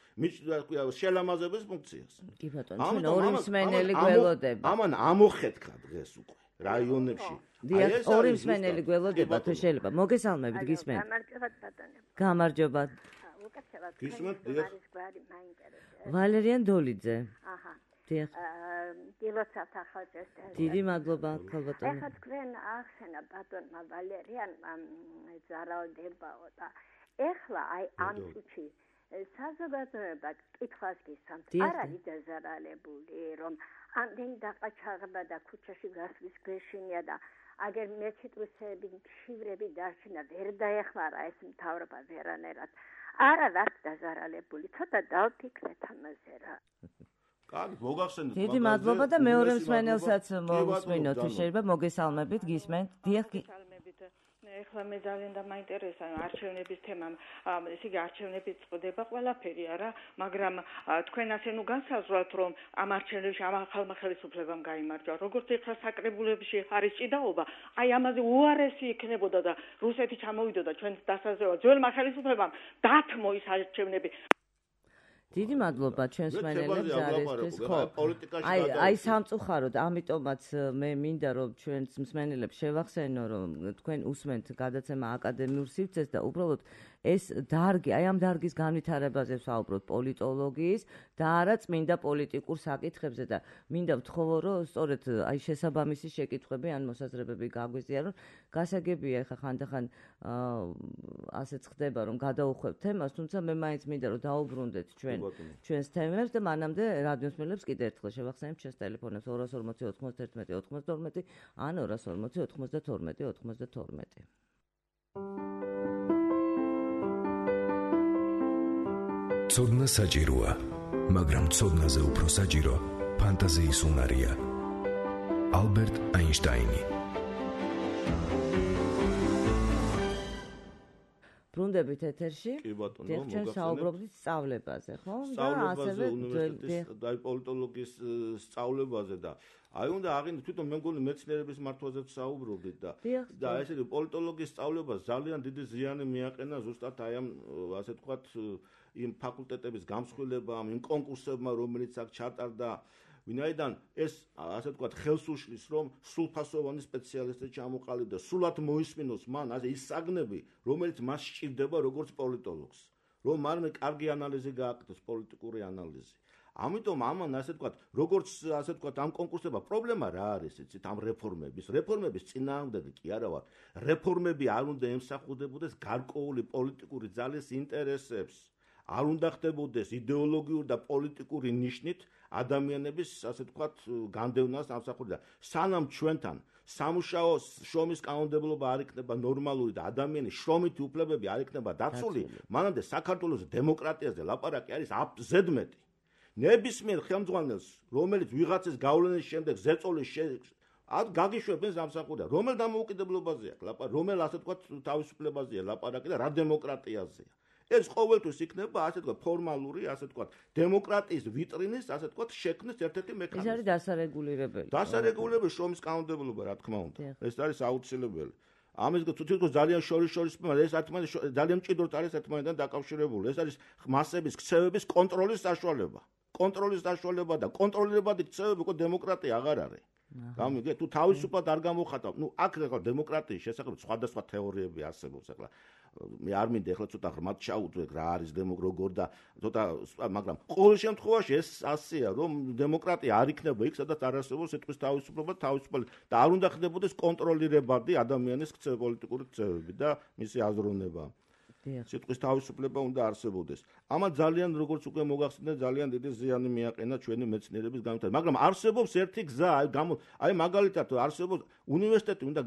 შელამაზების ფუნქციას. კი ბატონო, ჩვენ ორი მსმენელი გველოდება. ამან ამოხეთქა დღეს უკვე რაიონებში. აი ეს ორი მსმენელი გველოდება, თუ შეიძლება. მოგესალმებით, გისმენთ. გამარჯობა ბატონო. გამარჯობა. უკაცრავად. გისმენთ, დიახ. ვალერიან დოლიძე. აჰა. დიახ. დილოცავთ ახალწელს. დიდი მადლობა, ქალბატონო. ეხლა თქვენ ახსენა ბატონმა ვალერიანმა ზარალდებაო და ეხლა აი ამ წუთში საზოგადოება კითხვას გისვამთ, არ არის დაზარალებული, რომ ამდენი დაყაჩაღება და ქუჩაში გასვლის გვეშინია და აგერ მეციტვისები, შივრები დარჩენა ვერ დაეხმარა ეს მთავრობა ვერანაირად. არა ვართ დაზარალებული, ცოტა დავფიქრეთ ამაზე რა. კარგი, მოგახსენეთ. დიდი მადლობა და მეორე მსმენელსაც მოვუსმინოთ, თუ შეიძლება მოგესალმებით, გისმენთ. დიახ, გესალმებით. ეხლა მე ძალიან დამაინტერესა არჩევნების თემამ. ესე იგი არჩევნები წდება ყველაფერი არა, მაგრამ თქვენ ასე ნუ განსაზღვრათ, რომ ამ არჩევნებში ამ ახალმა ხელისუფლებამ გაიმარჯვა. როგორც ეხლა საკრებულებში არის ჭიდაობა, აი ამაზე უარესი იქნებოდა და რუსეთი ჩამოვიდოდა ჩვენს დასაზრებად. ძველმა ხელისუფლებამ დათმო ის არჩევნები. დიდი მადლობა ჩვენს მსმენელებს არისთვის, ხო. აი აი სამწუხაროდ, ამიტომაც მე მინდა რომ ჩვენს მსმენელებს შევახსენო, რომ თქვენ უსმენთ გადაცემა აკადემიურ სივრცეს და უბრალოდ ეს დარგი, აი ამ დარგის განვითარებაზე ვსაუბრობთ პოლიტოლოგიის და არა წმინდა პოლიტიკურ საკითხებზე და მინდა ვთხოვო, რომ სწორედ აი შესაბამისი შეკითხვები ან მოსაზრებები გაგვიზიარონ. გასაგებია ეხა ხანდახან ასეც ხდება, რომ გადაუხვევთ თემას, თუმცა მე მაინც მინდა რომ დაუბრუნდეთ ჩვენ ჩვენს თემებს და მანამდე რადიო მსმენელებს კიდევ ერთხელ შევახსენებთ ჩვენს ტელეფონებს ორას ორმოცი ოთხმოცდაერთმეტი ოთხმოცდაორმეტი ან ორას ორმოცი ოთხმოცდათორმეტი ოთხმოცდათორმეტი. ცოდნა საჭიროა, მაგრამ ცოდნაზე უფრო საჭირო ფანტაზიის უნარია. ალბერტ აინშტაინი. ბრუნდებით ეთერში. კი ბატონო, მოგახსენებთ. ჩვენ საუბრობდით სწავლებაზე, ხო? და ასევე უნივერსიტეტის და პოლიტოლოგიის სწავლებაზე და აი უნდა აღინიშნოთ თვითონ მე მგონი მეცნიერების მართვაზეც საუბრობდით და და ესე იგი პოლიტოლოგიის სწავლებას ძალიან დიდი ზიანი მიაყენა ზუსტად აი ამ ასე ვთქვათ იმ ფაკულტეტების გამსხვილებამ, იმ კონკურსებმა, რომელიც აქ ჩატარდა, ვინაიდან ეს ასე ვთქვათ ხელს უშლის, რომ სრულფასოვანი სპეციალისტი ჩამოყალიბდა, სულად მოისმინოს მან ასე ის საგნები, რომელიც მას სჭირდება როგორც პოლიტოლოგს, რომ მან კარგი ანალიზი გააკეთოს, პოლიტიკური ანალიზი. ამიტომ ამან ასე ვთქვათ, როგორც ასე ვთქვათ, ამ კონკურსებმა პრობლემა რა არის, იცით, ამ რეფორმების, რეფორმების წინააღმდეგი კი არა ვარ. რეფორმები არ უნდა ემსახურებოდეს გარკვეული პოლიტიკური ძალის ინტერესებს. არ უნდა ხდებოდეს იდეოლოგიური და პოლიტიკური ნიშნით ადამიანების, ასე ვთქვათ, განდევნას ამსახურდა. სანამ ჩვენთან სამუშაო შრომის კანონმდებლობა არ იქნება ნორმალური და ადამიანის შრომითი უფლებები არ იქნება დაცული, მანამდე საქართველოს დემოკრატიაზე ლაპარაკი არის ზედმეტი. ნებისმიერ ხელმძღვანელს, რომელიც ვიღაცის გავლენის შემდეგ ზეწოლის ad გაგიშვებენ სამსახურია. რომელ დამოუკიდებლობაზეა ლაპარაკი, რომელ ასე ვთქვათ თავისუფლებაზეა ლაპარაკი და რა დემოკრატიაზეა. ეს ყოველთვის იქნება ასე ვთქვათ ფორმალური, ასე ვთქვათ დემოკრატიის ვიტრინის, ასე ვთქვათ შექმნის ერთ-ერთი მექანიზმი. ეს არის დასარეგულირებელი. დასარეგულირებელი შრომის კანონმდებლობა, რა თქმა უნდა. ეს არის აუცილებელი. ამის თვითონ ძალიან შორის-შორის ეს ერთმანეთს ძალიან მჭიდროდ არის ერთმანეთთან დაკავშირებული. ეს არის მასების ქცევების კონტროლის საშუალება. კონტროლის საშუალება და კონტროლირებადი ქცევები უკვე დემოკრატია აღარ არის. გამიგე თუ თავისუფლად არ გამოხატავ, ნუ აქ ახლა დემოკრატიის შესახებ სხვადასხვა თეორიები არსებობს ახლა. მე არ მინდა ახლა ცოტა ღრმად ჩაუწვე რა არის დემოკრატია და ცოტა მაგრამ ყოველ შემთხვევაში ეს ასეა რომ დემოკრატია არ იქნება იქ სადაც არ არსებობს სიტყვის თავისუფლება თავისუფალი და არ უნდა ხდებოდეს კონტროლირებადი ადამიანის ქცევ პოლიტიკური ქცევები და მისი აზროვნება. სიტყვის თავისუფლება უნდა არსებობდეს. ამან ძალიან როგორც უკვე მოგახსენეთ ძალიან დიდი ზიანი მიაყენა ჩვენი მეცნიერების განვითარებას. მაგრამ არსებობს ერთი გზა, აი გამო აი მაგალითად არსებობს უნივერსიტეტი უნდა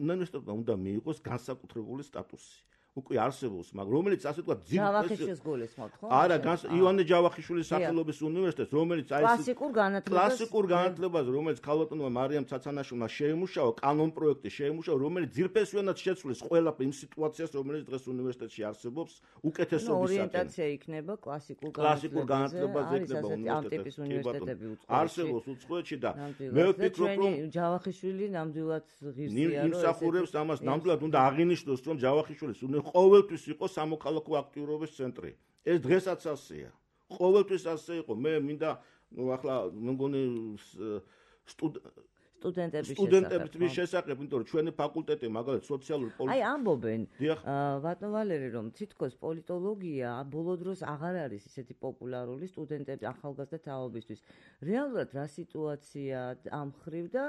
უნივერსიტეტმა უნდა მიიღოს განსაკუთრებული სტატუსი. უკვე არსებობს, მაგრამ რომელიც ასე ვთქვათ ჯავახიშვილის გულისხმობთ, ხო? არა, ივანე ჯავახიშვილის სახელობის უნივერსიტეტს, რომელიც აი კლასიკურ განათლებას კლასიკურ განათლებას, რომელიც ქალბატონმა მარიამ ცაცანაშვილმა შეიმუშავა, კანონ პროექტი შეიმუშავა, რომელიც ძირფესვიანად შეცვლის ყველაფერ იმ სიტუაციას, რომელიც დღეს უნივერსიტეტში არსებობს, უკეთესობისაკენ. ორიენტაცია იქნება კლასიკურ კლასიკურ განათლებას იქნება უნივერსიტეტები. არსებობს უცხოეთში და მე ვფიქრობ, რომ ჯავახიშვილი ნამდვილად ღირსია, რომ იმსახურებს ამას, ნამდვილად უნდა აღინიშნოს, რომ ჯავახიშვილის ყოველთვის იყო სამოქალაქო აქტიურობის ცენტრი. ეს დღესაც ასეა. ყოველთვის ასე იყო. მე მინდა ნუ ახლა მგონი სტუდენტების სტუდენტების შესახებ, იმიტომ რომ ჩვენი ფაკულტეტი მაგალითად სოციალური პოლიტიკა. აი ამბობენ, ბატონ ვალერი, რომ თითქოს პოლიტოლოგია ბოლო დროს აღარ არის ისეთი პოპულარული სტუდენტების ახალგაზრდა თაობისთვის. რეალურად რა სიტუაცია ამ ხრივ და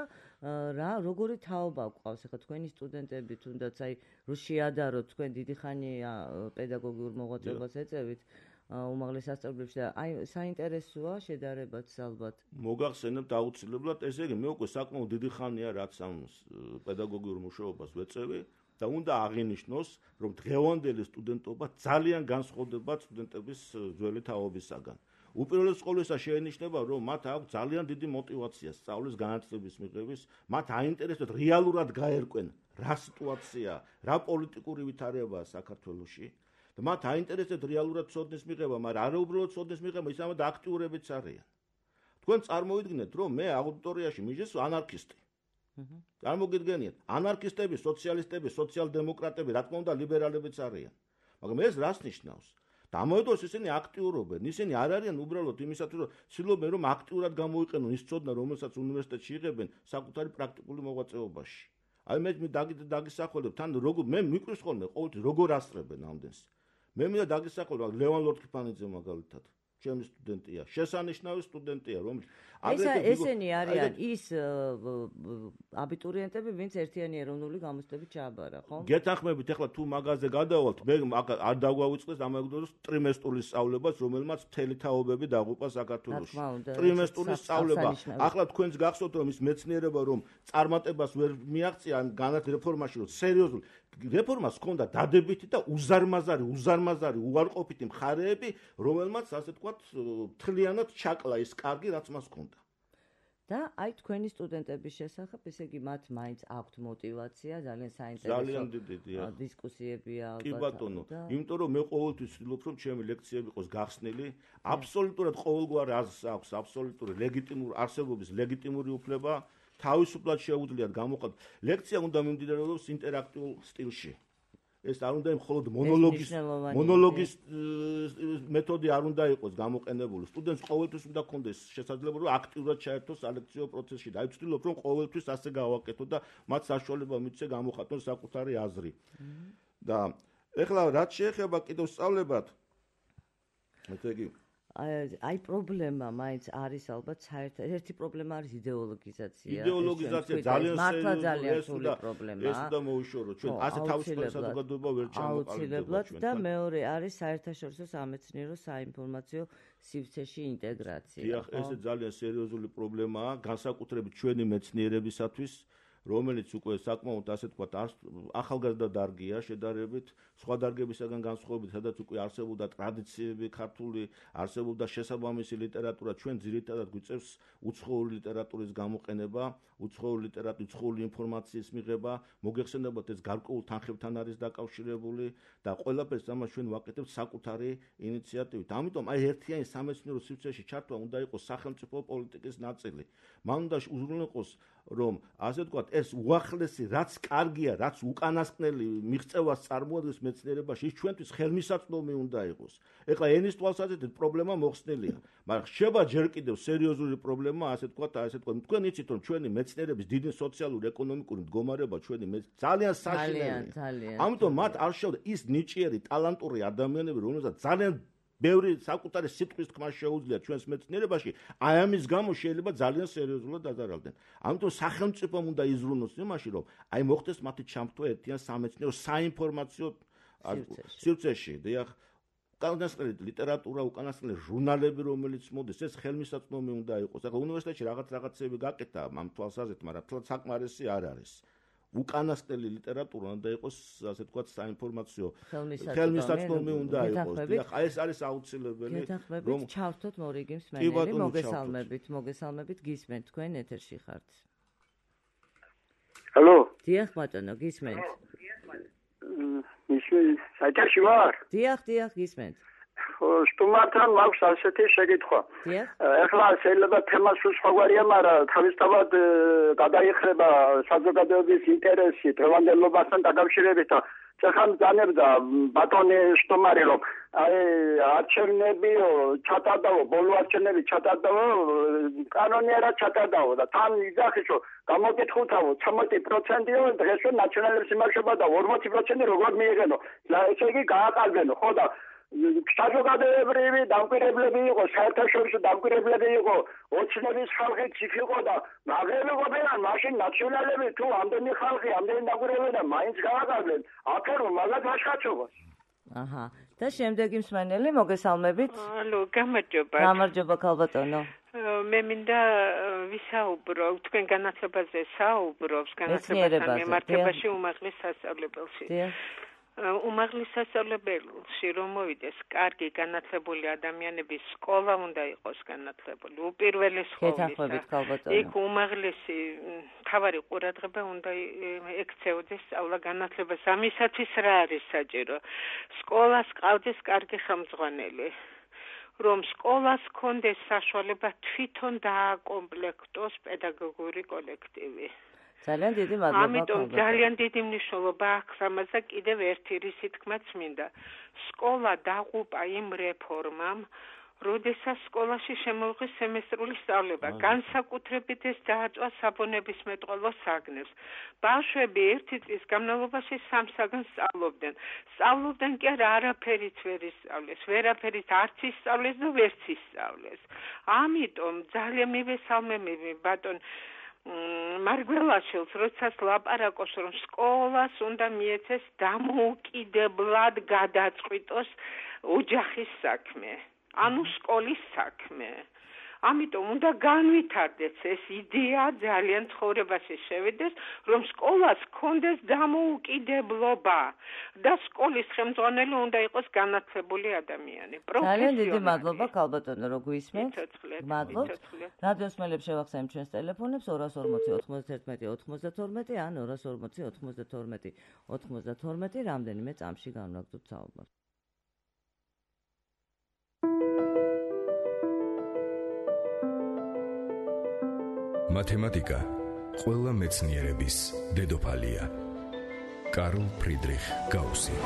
რა როგორი თაობა გვყავს ახლა თქვენი სტუდენტები თუნდაც აი რო შეადაროთ თქვენ დიდი ხანია პედაგოგიურ მოღვაწეობას ეწევით უმაღლეს სასწავლებლებში და აი საინტერესოა შედარებაც ალბათ. მოგახსენებთ აუცილებლად, ესე იგი მე უკვე საკმაოდ დიდი ხანია რაც ამ პედაგოგიურ მუშაობას ვეწევი და უნდა აღინიშნოს, რომ დღევანდელი სტუდენტობა ძალიან განსხვავდება სტუდენტების ძველი თაობისაგან. უპირველეს ყოვლისა შეენიშნება, რომ მათ აქვს ძალიან დიდი мотиваცია სწავლის განათლების მიღების, მათ აინტერესებთ რეალურად გაერკვენ რა სიტუაცია, რა პოლიტიკური ვითარებაა საქართველოში. და მათ აინტერესებთ რეალურად ცოდნის მიღება, მაგრამ არა უბრალოდ ცოდნის მიღება, ისამად აქტიურებიც არიან. თქვენ წარმოვიდგინეთ, რომ მე აუდიტორიაში მიჟეს ანარქისტი. წარმოგიდგენიათ, ანარქისტები, სოციალისტები, სოციალ-დემოკრატები, რა თქმა უნდა, ლიბერალებიც არიან. მაგრამ ეს რას ნიშნავს? დამოედოს ისინი აქტიურობენ, ისინი არ არიან უბრალოდ იმისათვის, რომ ცდილობენ, რომ აქტიურად გამოიყენონ ის ცოდნა, რომელსაც უნივერსიტეტში იღებენ საკუთარი პრაქტიკული მოღვაწეობაში. აი მე დაგისახველებ, თან როგორ მე მიკვრის ხოლმე ყოველთვის როგორ ასწრებენ ამდენს. მე მინდა დაგისახველებ ლევან ლორთქიფანიძე მაგალითად. ჩემი სტუდენტია, შესანიშნავი სტუდენტია, რომელიც აგრეთვე ესენი არიან ის აბიტურიენტები, ვინც ერთიანი ეროვნული გამოცდებით ჩააბარა, ხო? გეთანხმებით, ახლა თუ მაგაზე გადავალთ, მე არ დაგვავიწყდეს ამავდროულად ტრიმესტურის სწავლებას, რომელმაც მთელი თაობები დაღუპა საქართველოში. ტრიმესტურის სწავლება. ახლა თქვენს გახსოვთ, რომ ის მეცნიერება, რომ წარმატებას ვერ მიაღწია ამ განათლების რეფორმაში, რომ სერიოზული რეფორმას ჰქონდა დადებითი და უზარმაზარი, უზარმაზარი, უარყოფითი მხარეები, რომელმაც ასე ვთქვათ, მთლიანად ჩაკლა ის კარგი, რაც მას ჰქონდა. და აი თქვენი სტუდენტების შესახებ, ესე იგი მათ მაინც აქვთ мотиваცია, ძალიან საინტერესო დისკუსიებია ალბათ. კი ბატონო, იმიტომ რომ მე ყოველთვის ვცდილობ რომ ჩემი ლექციები იყოს გახსნილი, აბსოლუტურად ყოველგვარ აზრს აქვს აბსოლუტური ლეგიტიმური არსებობის ლეგიტიმური უფლება, თავისუფლად შეუძლიათ გამოყოთ. ლექცია უნდა მიმდინარეობდეს ინტერაქტიულ სტილში. ეს არ უნდა მხოლოდ მონოლოგის მონოლოგის მეთოდი არ უნდა იყოს გამოყენებული. სტუდენტს ყოველთვის უნდა ქონდეს შესაძლებლობა რომ აქტიურად ჩაერთოს სალექციო პროცესში. და ვცდილობ რომ ყოველთვის ასე გავაკეთო და მათ საშუალება მიცე გამოხატონ საკუთარი აზრი. და ეხლა რაც შეეხება კიდევ სწავლებად ესე იგი აი პრობლემა მაინც არის ალბათ საერთოდ ერთი პრობლემა არის იდეოლოგიზაცია. იდეოლოგიზაცია ძალიან მართლა ძალიან სრული პრობლემაა. ეს უნდა მოუშორო ჩვენ ასე თავისუფლად საზოგადოება ვერ ჩამოყალიბდება ჩვენ. და მეორე არის საერთაშორისო სამეცნიერო საინფორმაციო სივრცეში ინტეგრაცია. დიახ, ეს ძალიან სერიოზული პრობლემაა, განსაკუთრებით ჩვენი მეცნიერებისათვის, რომელიც უკვე საკმაოდ ასე თქვა ახალგაზრდა დარგია შედარებით სხვა დარგებისაგან განსხვავებით, სადაც უკვე არსებობდა ტრადიციები ქართული, არსებობდა შესაბამისი ლიტერატურა, ჩვენ ძირითადად გვიწევს უცხოური ლიტერატურის გამოყენება, უცხოური ლიტერატურის, უცხოური ინფორმაციის მიღება, მოგეხსენებათ ეს გარკვეულ თანხებთან არის დაკავშირებული და ყველაფერს ამას ჩვენ ვაკეთებთ საკუთარი ინიციატივით. ამიტომ აი ერთიანი სამეცნიერო სივრცეში ჩართვა უნდა იყოს სახელმწიფო პოლიტიკის ნაწილი. მან უნდა უზრუნველყოს რომ ასე ვთქვათ ეს უახლესი რაც კარგია, რაც უკანასკნელი მიღწევას წარმოადგენს მეცნიერებაში, ის ჩვენთვის ხელმისაწვდომი უნდა იყოს. ეხლა ენის თვალსაზრისით პრობლემა მოხსნილია, მაგრამ ხდება ჯერ კიდევ სერიოზული პრობლემა, ასე ვთქვათ, ასე ვთქვათ, თქვენ იცით რომ ჩვენი მეცნიერების დიდი სოციალური ეკონომიკური მდგომარეობა ჩვენი ძალიან საშინელია. ამიტომ მათ არ შეუძლია ის ნიჭიერი, ტალანტური ადამიანები, რომელსაც ძალიან ბევრი საკუთარი სიტყვის თქმა შეუძლია ჩვენს მეცნიერებაში, აი ამის გამო შეიძლება ძალიან სერიოზულად დაზარალდნენ. ამიტომ სახელმწიფომ უნდა იზრუნოს იმაში, რომ აი მოხდეს მათი ჩამთვლა ერთიან სამეცნიერო საინფორმაციო სივრცეში. დიახ, უკანასკნელი ლიტერატურა, უკანასკნელი ჟურნალები, რომელიც მოდის, ეს ხელმისაწვდომი უნდა იყოს. ახლა უნივერსიტეტში რაღაც რაღაცები გაკეთა ამ თვალსაზრისით, მაგრამ თლა საკმარისი არ არის. უკანასკნელი ლიტერატურა უნდა იყოს, ასე ვთქვათ, საინფორმაციო ხელმისაწვდომი უნდა იყოს. დიახ, ეს არის აუცილებელი, რომ ჩავთოთ მორიგი მსმენელი, მოგესალმებით, მოგესალმებით, გისმენთ, თქვენ ეთერში ხართ. ჰალო. დიახ, ბატონო, გისმენთ. ისე საერთაში ვარ? დიახ, დიახ, გისმენთ. სტუმართან მაქვს ასეთი შეკითხვა. ეხლა შეიძლება თემას უცხოგვარია, მაგრამ თავისთავად გადაიხრება საზოგადოების ინტერესი დღევანდელობასთან დაკავშირებით და ეხლა განებდა ბატონი სტუმარი რომ აი არჩევნები ჩატარდაო, ბოლო არჩევნები ჩატარდაო, კანონიერად ჩატარდაო და თან იძახის რომ გამოკითხულთაო ცხრამეტი პროცენტიო დღეს ნაციონალებს იმარშობა და ორმოცი პროცენტი როგორ მიიღენო. ესე იგი გააყალბენო, ხო და საზოგადოებრივი დამკვირვებლები იყო, საერთაშორისო დამკვირვებლები იყო, ოცნების ხალხიც იქ იყო და მაგრამ ყოფილან მაშინ ნაციონალები თუ ამდენი ხალხი, ამდენი დამკვირვებლები და მაინც გააყალბენ, აფერო მაგათ აღშაჩობას. აჰა. და შემდეგი მსმენელი, მოგესალმებით. ალო, გამარჯობა. გამარჯობა, ქალბატონო. მე მინდა ვისაუბრო, თქვენ განათლებაზე საუბრობს, განათლებასთან მიმართებაში უმაღლეს სასწავლებელში. უმაღლეს სასწავლებელში რომ მოვიდეს კარგი განათლებული ადამიანების სკოლა უნდა იყოს განათლებული. უპირველეს ხოლმე იქ უმაღლესი თავარი ყურადღება უნდა ექცეოდეს სწავლა განათლებას. ამისათვის რა არის საჭირო? სკოლას ყავდეს კარგი ხელმძღვანელი. რომ სკოლას კონდეს საშუალება თვითონ დააკომპლექტოს პედაგოგური კოლექტივი. ძალიან დიდი მადლობა. ამიტომ ძალიან დიდი მნიშვნელობა აქვს ამაზე კიდევ ერთი რისი თქმაც მინდა. სკოლა დაღუპა იმ რეფორმამ, როდესაც სკოლაში შემოიღეს სემესტრული სწავლება. განსაკუთრებით ეს დააწვა საბუნებისმეტყველო საგნებს. ბავშვები ერთი წლის განმავლობაში სამ საგნს სწავლობდნენ. სწავლობდნენ კი არა არაფერიც ვერ ისწავლეს, ვერაფერით არც ისწავლეს და ვერც ისწავლეს. ამიტომ ძალიან მივესალმები ბატონ მარგველაშვილს, როდესაც ლაპარაკობს, რომ სკოლას უნდა მიეცეს დამოუკიდებლად გადაწყვიტოს ოჯახის საქმე, ანუ სკოლის საქმე. ამიტომ უნდა განვითარდეს ეს იდეა, ძალიან ცხოვრებაში შევიდეს, რომ სკოლას ჰქონდეს დამოუკიდებლობა და სკოლის ხელმძღვანელი უნდა იყოს განათლებული ადამიანი. ძალიან დიდი მადლობა ქალბატონო, რომ გვისმენთ. მადლობთ. რადიოს მელებს შევახსენებთ ჩვენს ტელეფონებს ორას ორმოცი ოთხმოცდათერთმეტი ოცდათორმეტი ან ორას ორმოცი ოცდათორმეტი ოცდათორმეტი რამდენიმე წამში განვაგრძობთ საუბარს. მათემატიკა ყველა მეცნიერების დედოფალია. კარლ ფრიდრიხ გაუსი.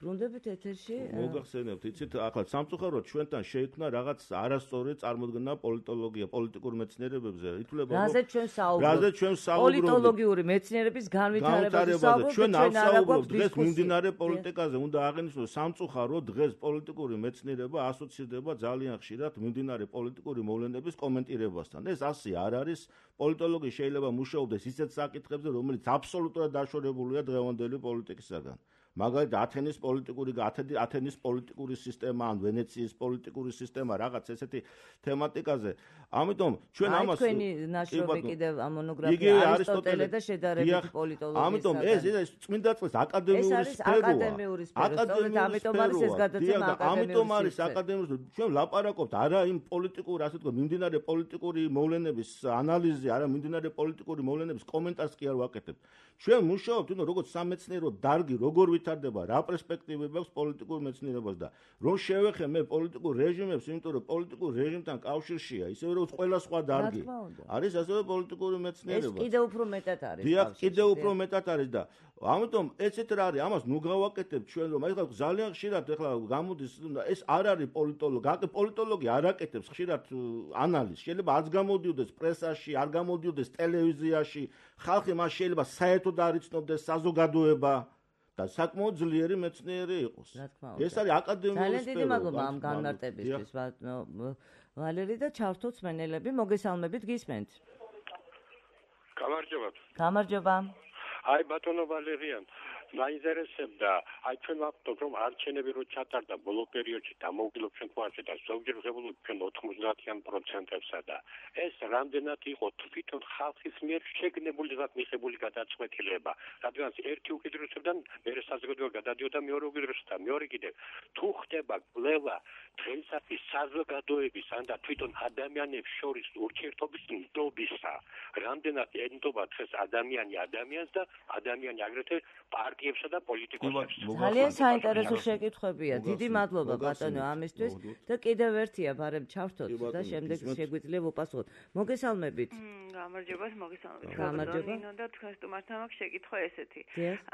ბრუნდებით ეთერში. მოგახსენებთ, იცით, ახლა სამწუხაროდ ჩვენთან შეიქმნა რაღაც არასწორი წარმოდგენა პოლიტოლოგია, პოლიტიკურ მეცნიერებებზე. ითვლება, რომ რაზე ჩვენ საუბრობთ? რაზე ჩვენ საუბრობთ? პოლიტოლოგიური მეცნიერების განვითარებაზე საუბრობთ. ჩვენ არ საუბრობთ დღეს მიმდინარე პოლიტიკაზე. უნდა აღინიშნოს, სამწუხაროდ დღეს პოლიტიკური მეცნიერება ასოცირდება ძალიან ხშირად მიმდინარე პოლიტიკური მოვლენების კომენტირებასთან. ეს ასე არ არის. პოლიტოლოგი შეიძლება მუშაობდეს ისეთ საკითხებზე, რომელიც აბსოლუტურად დაშორებულია დღევანდელი პოლიტიკისაგან. მაგალითად ათენის პოლიტიკური ათენის პოლიტიკური სისტემა ან ვენეციის პოლიტიკური სისტემა რაღაც ესეთი თემატიკაზე. ამიტომ ჩვენ ამას თქვენი ნაშრომი კიდევ მონოგრაფია არისტოტელე და შედარებითი პოლიტოლოგია. ამიტომ ეს ეს წმინდა წყლის აკადემიური სფეროა. აკადემიური სფერო. ამიტომ არის ეს გადაცემა აკადემიური. ამიტომ არის აკადემიური. ჩვენ ლაპარაკობთ არა იმ პოლიტიკურ, ასე თქვა, მიმდინარე პოლიტიკური მოვლენების ანალიზზე, არა მიმდინარე პოლიტიკური მოვლენების კომენტარს კი არ ვაკეთებთ. ჩვენ მუშაობთ, თუნდაც როგორც სამეცნიერო დარგი, როგორ ვითარდება, რა პერსპექტივები აქვს პოლიტიკურ მეცნიერებას და რომ შევეხე მე პოლიტიკურ რეჟიმებს, იმიტომ რომ პოლიტიკურ რეჟიმთან კავშირშია, ისევე როგორც ყველა სხვა დარგი. არის ასევე პოლიტიკური მეცნიერება. ეს კიდევ უფრო მეტად არის. დიახ, კიდევ უფრო მეტად არის და ამიტომ ესეთ რა არის, ამას ნუ გავაკეთებთ ჩვენ, რომ ახლა ძალიან ხშირად ახლა გამოდის ეს არ არის პოლიტოლოგი, აქ პოლიტოლოგი არ აკეთებს ხშირად ანალიზს. შეიძლება არც გამოდიოდეს პრესაში, არ გამოდიოდეს ტელევიზიაში, ხალხი მას შეიძლება საერთოდ არ იცნობდეს საზოგადოება. და საკმაოდ ძლიერი მეცნიერი იყოს. ეს არის აკადემიური სფერო. ძალიან დიდი მადლობა ამ განმარტებისთვის, ვალერი და ჩართოთ მსმენელები, მოგესალმებით, გისმენთ. გამარჯობა. გამარჯობა. აი ბატონო ვალერიან, მაინტერესებდა, აი ჩვენ ვახტობთ, რომ არჩევნები რო ჩატარდა ბოლო პერიოდში დამოუკიდებლობ ჩვენ გვარჩა და ზოგჯერ ღებულობ ჩვენ ოთხმოცდაათიან პროცენტებსა და ეს რამდენად იყო თვითონ ხალხის მიერ შეგნებული და მიღებული გადაწყვეტილება, რადგან ერთი უკიდურესობიდან მეორე საზოგადოება გადადიოდა მეორე უკიდურესობთან, მეორე კიდევ თუ ხდება კვლევა დღეისათვის საზოგადოების ან და თვითონ ადამიანებს შორის ურთიერთობის ნდობისა, რამდენად ენდობა დღეს ადამიანი ადამიანს და ადამიანი აგრეთვე პარტიებსა და პოლიტიკოსებს. ძალიან საინტერესო შეკითხვებია. დიდი მადლობა ბატონო ამისთვის და კიდევ ერთია, ბარემ ჩავთოთ და შემდეგ შეგვიძლია ვუპასუხოთ. მოგესალმებით. გამარჯობა, მოგესალმებით. გამარჯობა. ნინო და თქვენ სტუმართან მაქვს შეკითხვა ესეთი.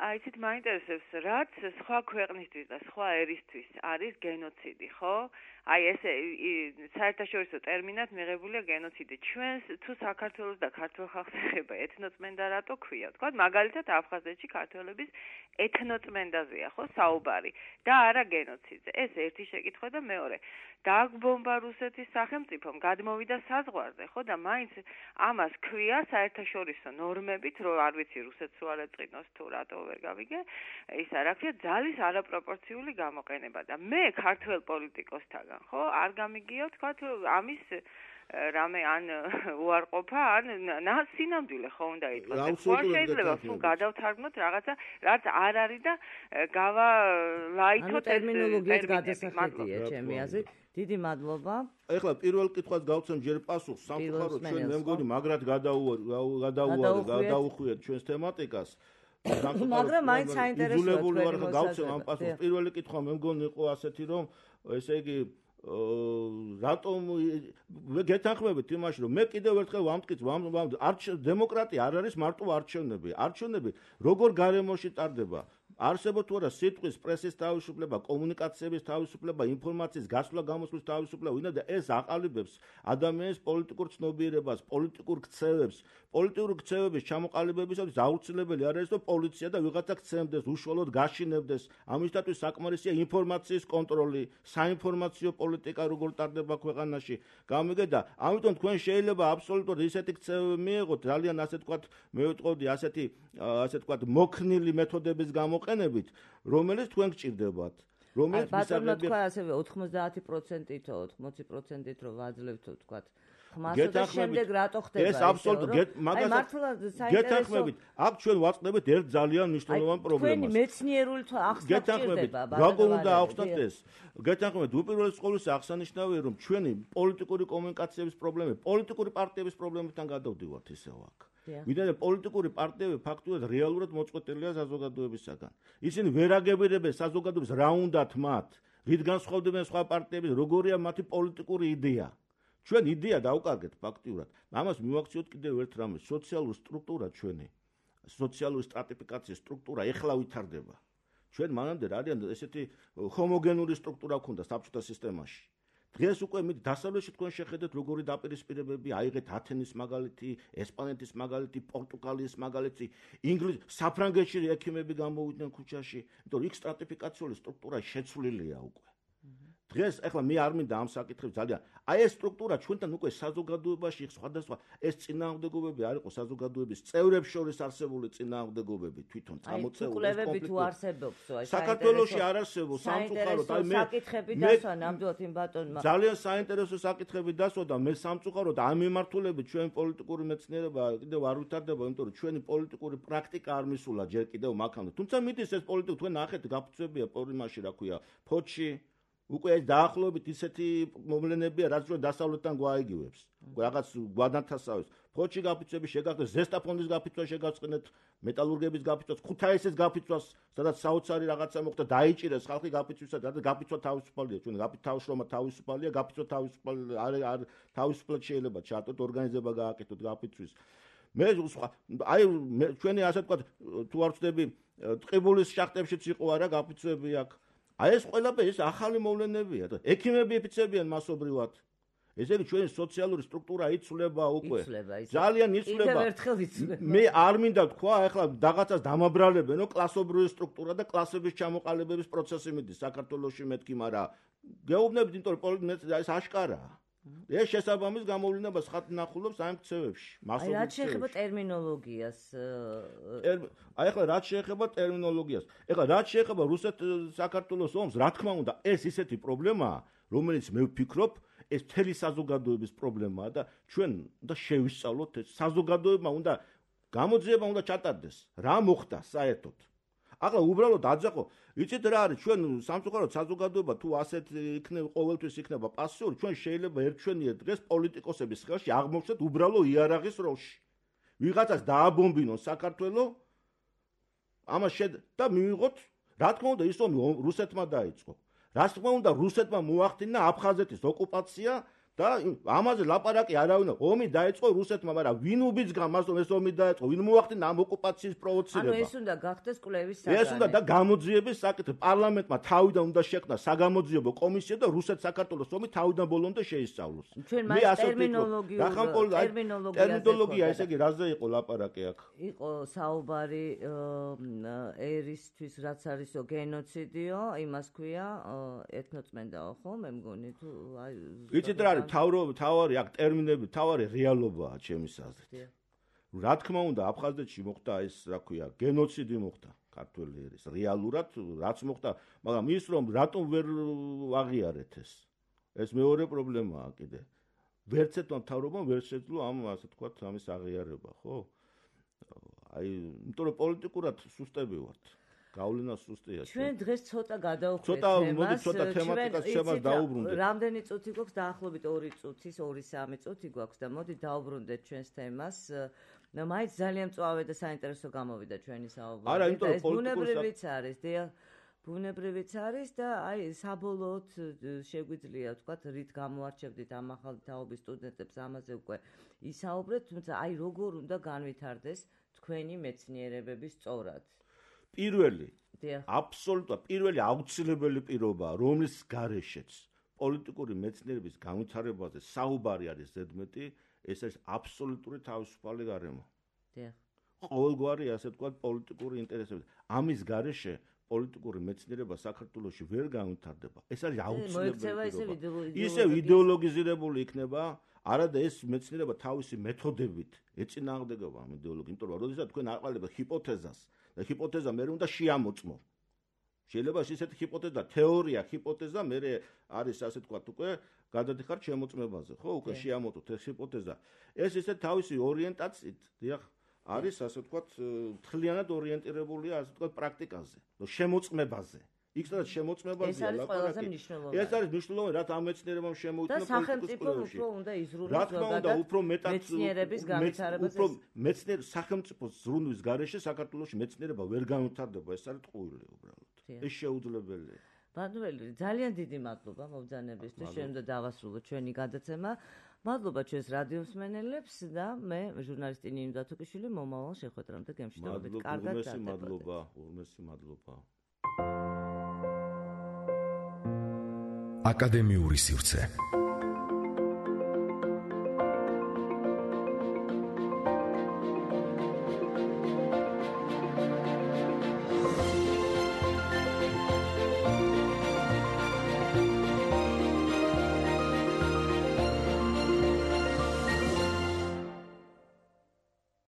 აი იცით მაინტერესებს, რაც სხვა ქვეყნისთვის და სხვა ერისთვის არის გენოციდი, ხო? აი ეს საერთაშორისო ტერმინად მიღებულია გენოციდი. ჩვენს თუ საქართველოს და ქართულ ხალხს ეხება ეთნოწმენდა რატო ქვია? თქვა მაგალითად აფხაზეთში ქართველების ეთნოწმენდაზეა ხო საუბარი და არა გენოციდზე. ეს ერთი შეკითხვა და მეორე. დააგბომბა რუსეთის სახელმწიფომ, გადმოვიდა საზღვარზე, ხო და მაინც ამას ქვია საერთაშორისო ნორმებით, რომ არ ვიცი რუსეთს რო არ ეწყინოს თუ რატო ვერ გავიგე, ისა რა ქვია, ძალის არაპროპორციული გამოყენება და მე ქართველ პოლიტიკოსთაგან, ხო, არ გამიგია თქვა ამის რამე ან უარყოფა ან სინამდვილე ხო უნდა იყოს. ხო შეიძლება თუ გადავთარგმნოთ რაღაცა, რაც არ არის და გავალაითოთ ეს ტერმინოლოგიის გადასახედია ჩემი აზრით. დიდი მადლობა. ეხლა პირველ კითხვას გავცემ ჯერ პასუხს, სამწუხაროდ ჩვენ მე მგონი მაგრად გადაუვარეთ, გადაუხვიეთ ჩვენს თემატიკას. მაგრამ მაინც საინტერესოა თქვენი გავცემ ამ პასუხს. პირველი კითხვა მე მგონი იყო ასეთი, რომ ესე იგი რატომ გეთანხმებით იმაში, რომ მე კიდევ ერთხელ ვამტკიც, დემოკრატია არ არის მარტო არჩევნები. არჩევნები როგორ გარემოში ტარდება? არსებობს თუ არა სიტყვის, პრესის თავისუფლება, კომუნიკაციების თავისუფლება, ინფორმაციის გასვლა გამოსვლის თავისუფლება, ვინდა და ეს აყალიბებს ადამიანის პოლიტიკურ ცნობიერებას, პოლიტიკურ ქცევებს. პოლიტიკური ქცევების ჩამოყალიბებისათვის აუცილებელი არ არის, რომ პოლიცია და ვიღაცა ქცემდეს, უშუალოდ გაშინებდეს. ამისათვის საკმარისია ინფორმაციის კონტროლი, საინფორმაციო პოლიტიკა როგორ ტარდება ქვეყანაში. გამიგეთ და ამიტომ თქვენ შეიძლება აბსოლუტურად ისეთი ქცევები მიიღოთ, ძალიან ასე თქვათ, მე ვიტყოდი ასეთი ასე თქვათ მოქნილი მეთოდების გამოყენება მივაყენებით, რომელიც თქვენ გჭირდებათ. რომელიც ბატონო თქვა ასევე ოთხმოცდაათი პროცენტით, ოცდაათი პროცენტით რომ ვაძლევთო თქვა. ხმასო და შემდეგ რატო ხდება ეს? ეს აბსოლუტურად მაგას გეთანხმებით. აქ ჩვენ ვაწყდებით ერთ ძალიან მნიშვნელოვან პრობლემას. თქვენი მეცნიერული ახსნა გჭირდება, ბატონო. როგორ უნდა ახსნათ ეს? გეთანხმებით, უპირველეს ყოვლისა აღსანიშნავია რომ ჩვენი პოლიტიკური კომუნიკაციების პრობლემები, პოლიტიკური პარტიების პრობლემებთან გადავდივართ ისევ აქ. ვიდრე პოლიტიკური პარტიები ფაქტურად რეალურად მოწყვეტილია საზოგადოებისაგან. ისინი ვერ აგებირებენ საზოგადოებას რა უნდათ მათ, რით განსხვავდებიან სხვა პარტიებიდან, როგორია მათი პოლიტიკური იდეა. ჩვენ იდეა დავკარგეთ ფაქტიურად. ამას მივაქციოთ კიდევ ერთ რამეს, სოციალური სტრუქტურა ჩვენი, სოციალური სტრატიფიკაციის სტრუქტურა ეხლა ვითარდება. ჩვენ მანამდე არიან ესეთი ჰომოგენური სტრუქტურა ქონდა საბჭოთა სისტემაში. დღეს უკვე მით დასავლეთში თქვენ შეხედეთ როგორი დაპირისპირებები აიღეთ ათენის მაგალითი, ესპანეთის მაგალითი, პორტუგალიის მაგალითი, ინგლისის, საფრანგეთში ექიმები გამოვიდნენ ქუჩაში, იმიტომ რომ იქ სტრატიფიკაციული სტრუქტურა შეცვლილია უკვე. დღეს ახლა მე არ მინდა ამ საკითხებს ძალიან. აი ეს სტრუქტურა ჩვენთან უკვე საზოგადოებაში სხვადასხვა ეს წინააღმდეგობები არ იყო საზოგადოების წევრებს შორის არსებული წინააღმდეგობები თვითონ წამოწეული კონფლიქტი თუ არსებობს აი საქართველოში არ არსებობს სამწუხაროდ აი მე საკითხები დასვა ნამდვილად იმ ბატონმა ძალიან საინტერესო საკითხები დასვა და მე სამწუხაროდ ამ მიმართულებით ჩვენ პოლიტიკური მეცნიერება კიდევ არ ვითარდება იმიტომ რომ ჩვენი პოლიტიკური პრაქტიკა არ მისულა ჯერ კიდევ მაგამდე თუმცა მიდის ეს პოლიტიკა თქვენ ნახეთ გაფუძებია პორიმაში რა ქვია ფოჩი უკვე ეს დაახლოებით ისეთი მოვლენებია, რაც ჩვენ დასავლეთთან გვაიგივებს. რაღაც გვადანთასავებს. ფოჩი გაფიცვები შეგახდეთ, ზესტაფონის გაფიცვა შეგაწყნეთ, მეტალურგების გაფიცვას, ქუთაისის გაფიცვას, სადაც საოცარი რაღაცა მოხდა, დაიჭირეს ხალხი გაფიცვისა, და გაფიცვა თავისუფალია, ჩვენ გაფიცვა თავისუფალია, გაფიცვა თავისუფალი არ თავისუფლად შეიძლება ჩაატოთ, ორგანიზება გააკეთოთ გაფიცვის. მე აი ჩვენი ასე ვთქვათ, თუ არ ვწდები, ტყიბულის შახტებშიც იყო არა გაფიცვები აქ. აი ეს ყველაფერი ეს ახალი მოვლენებია და ექიმები იფიცებიან მასობრივად. ესე იგი ჩვენი სოციალური სტრუქტურა იცვლება უკვე. ძალიან იცვლება. მე არ მინდა თქვა, ახლა რაღაცას დამაბრალებენო კლასობრივი სტრუქტურა და კლასების ჩამოყალიბების პროცესი მიდის საქართველოში მეთქი, მაგრამ გეუბნებით, იმიტომ რომ ეს აშკარაა. ეს შესაბამის გამოვლენა ხატნახულობს ამ ქცევებში. აი რაც შეეხება ტერმინოლოგიას. აი ახლა რაც შეეხება ტერმინოლოგიას. ეხლა რაც შეეხება რუსეთ-საქართველოს ომს, რა თქმა უნდა, ეს ისეთი პრობლემაა, რომელიც მე ვფიქრობ, ეს მთელი საზოგადოების პრობლემაა და ჩვენ უნდა შევისწავლოთ ეს საზოგადოება უნდა გამოძიება უნდა ჩატარდეს. რა მოხდა საერთოდ? ახლა უბრალოდ აძახო, იცით რა არის ჩვენ სამწუხაროდ საზოგადოება თუ ასეთ იქნება ყოველთვის იქნება პასიური, ჩვენ შეიძლება ერთჩვენიერ დღეს პოლიტიკოსების ხელში აღმოვჩნდეთ უბრალო იარაღის როლში. ვიღაცას დააბომბინონ საქართველო, ამას შედ და მივიღოთ, რა თქმა უნდა, ის ომი რუსეთმა დაიწყო. რა თქმა უნდა, რუსეთმა მოახდინა აფხაზეთის ოკუპაცია და ამაზე ლაპარაკი არავინ ომი დაიწყო რუსეთმა, მაგრამ ვინ უბიძგა მას რომ ეს ომი დაიწყო, ვინ მოახდინა ამ ოკუპაციის პროვოცირება? ანუ ეს უნდა გახდეს კვლევის საგანი. ეს უნდა და გამოძიების საკითხი. პარლამენტმა თავიდან უნდა შექმნა საგამოძიებო კომისია და რუსეთ-საქართველოს ომი თავიდან ბოლომდე შეისწავლოს. მე ასე ტერმინოლოგია ტერმინოლოგია ესე იგი რაზე იყო ლაპარაკი აქ? იყო საუბარი ერისთვის რაც არისო გენოციდიო, იმას ქვია ეთნოწმენდაო ხო, მე მგონი თუ აი იცით რა არის თავრობი, თავარი აქ ტერმინები, თავარი რეალობაა ჩემის აზრით. რა თქმა უნდა, აფხაზეთში მოხდა ეს, რა ქვია, გენოციდი მოხდა ქართველი ერის. რეალურად რაც მოხდა, მაგრამ ის რომ რატომ ვერ აღიარეთ ეს? ეს მეორე პრობლემაა კიდე. ვერც ერთმა მთავრობამ ვერ შეძლო ამ ასე თქვათ ამის აღიარება, ხო? აი, იმიტომ რომ პოლიტიკურად სუსტები ვართ. გავლენა სუსტია. ჩვენ დღეს ცოტა გადავხვდეთ თემას. ცოტა მოდი ცოტა თემატიკას შემას დაუბრუნდეთ. რამდენი წუთი გვაქვს დაახლოებით ორი წუთის, ორი სამი წუთი გვაქვს და მოდი დაუბრუნდეთ ჩვენს თემას. მაინც ძალიან მწვავე და საინტერესო გამოვიდა ჩვენი საუბარი. არა, იმიტომ რომ ბუნებრივიც არის, დიახ, ბუნებრივიც არის და აი საბოლოოდ შეგვიძლია ვთქვათ, რით გამოარჩევდით ამ ახალი თაობის სტუდენტებს ამაზე უკვე ისაუბრეთ, თუმცა აი როგორ უნდა განვითარდეს თქვენი მეცნიერებები სწორად. პირველი, აბსოლუტურად პირველი აუცილებელი პირობაა, რომლის გარეშეც პოლიტიკური მეცნიერების განვითარებაზე საუბარი არის ზედმეტი, ეს არის აბსოლუტური თავისუფალი გარემო. დიახ. ყოველგვარი ასე ვთქვათ პოლიტიკური ინტერესები. ამის გარეშე პოლიტიკური მეცნიერება საქართველოში ვერ განვითარდება. ეს არის აუცილებელი. ისევ იდეოლოგიზირებული იქნება, არადა ეს მეცნიერება თავისი მეთოდებით ეწინააღმდეგება ამ იდეოლოგიას, იმიტომ რომ როდესაც თქვენ აყალიბებთ ჰიპოთეზას და ჰიპოთეზა მე უნდა შეამოწმო. შეიძლება ისეთი ჰიპოთეზა, თეორია, ჰიპოთეზა მე არის ასე თქვა უკვე გადადიხართ შემოწმებაზე, ხო, უკვე შეამოწმოთ ეს ჰიპოთეზა. ეს ისე თავისი ორიენტაციით, დიახ, არის ასე თქვა მთლიანად ორიენტირებულია ასე თქვა პრაქტიკაზე, შემოწმებაზე. იქ სადაც შემოწმებაზეა ლაპარაკი. ეს არის მნიშვნელოვანი, რაც ამ მეცნიერებამ შემოიტანა პოლიტიკურ სპილოში. და სახელმწიფო უფრო უნდა იზრუნოს რა თქმა უნდა, უფრო მეტად მეცნიერების განვითარებას. უფრო მეცნიერ სახელმწიფოს ზრუნვის გარეშე საქართველოში მეცნიერება ვერ განვითარდება, ეს არის ტყუილი უბრალოდ. ეს შეუძლებელია. ბატონელი, ძალიან დიდი მადლობა მობრძანებისთვის. ჩვენ უნდა დავასრულოთ ჩვენი გადაცემა. მადლობა ჩვენს რადიომსმენელებს და მე ჟურნალისტი ნინო დათუკიშვილი მომავალ შეხვედრამდე გემშვიდობით. კარგად დარჩებით. მადლობა, ურმესი მადლობა. აკადემიური სივრცე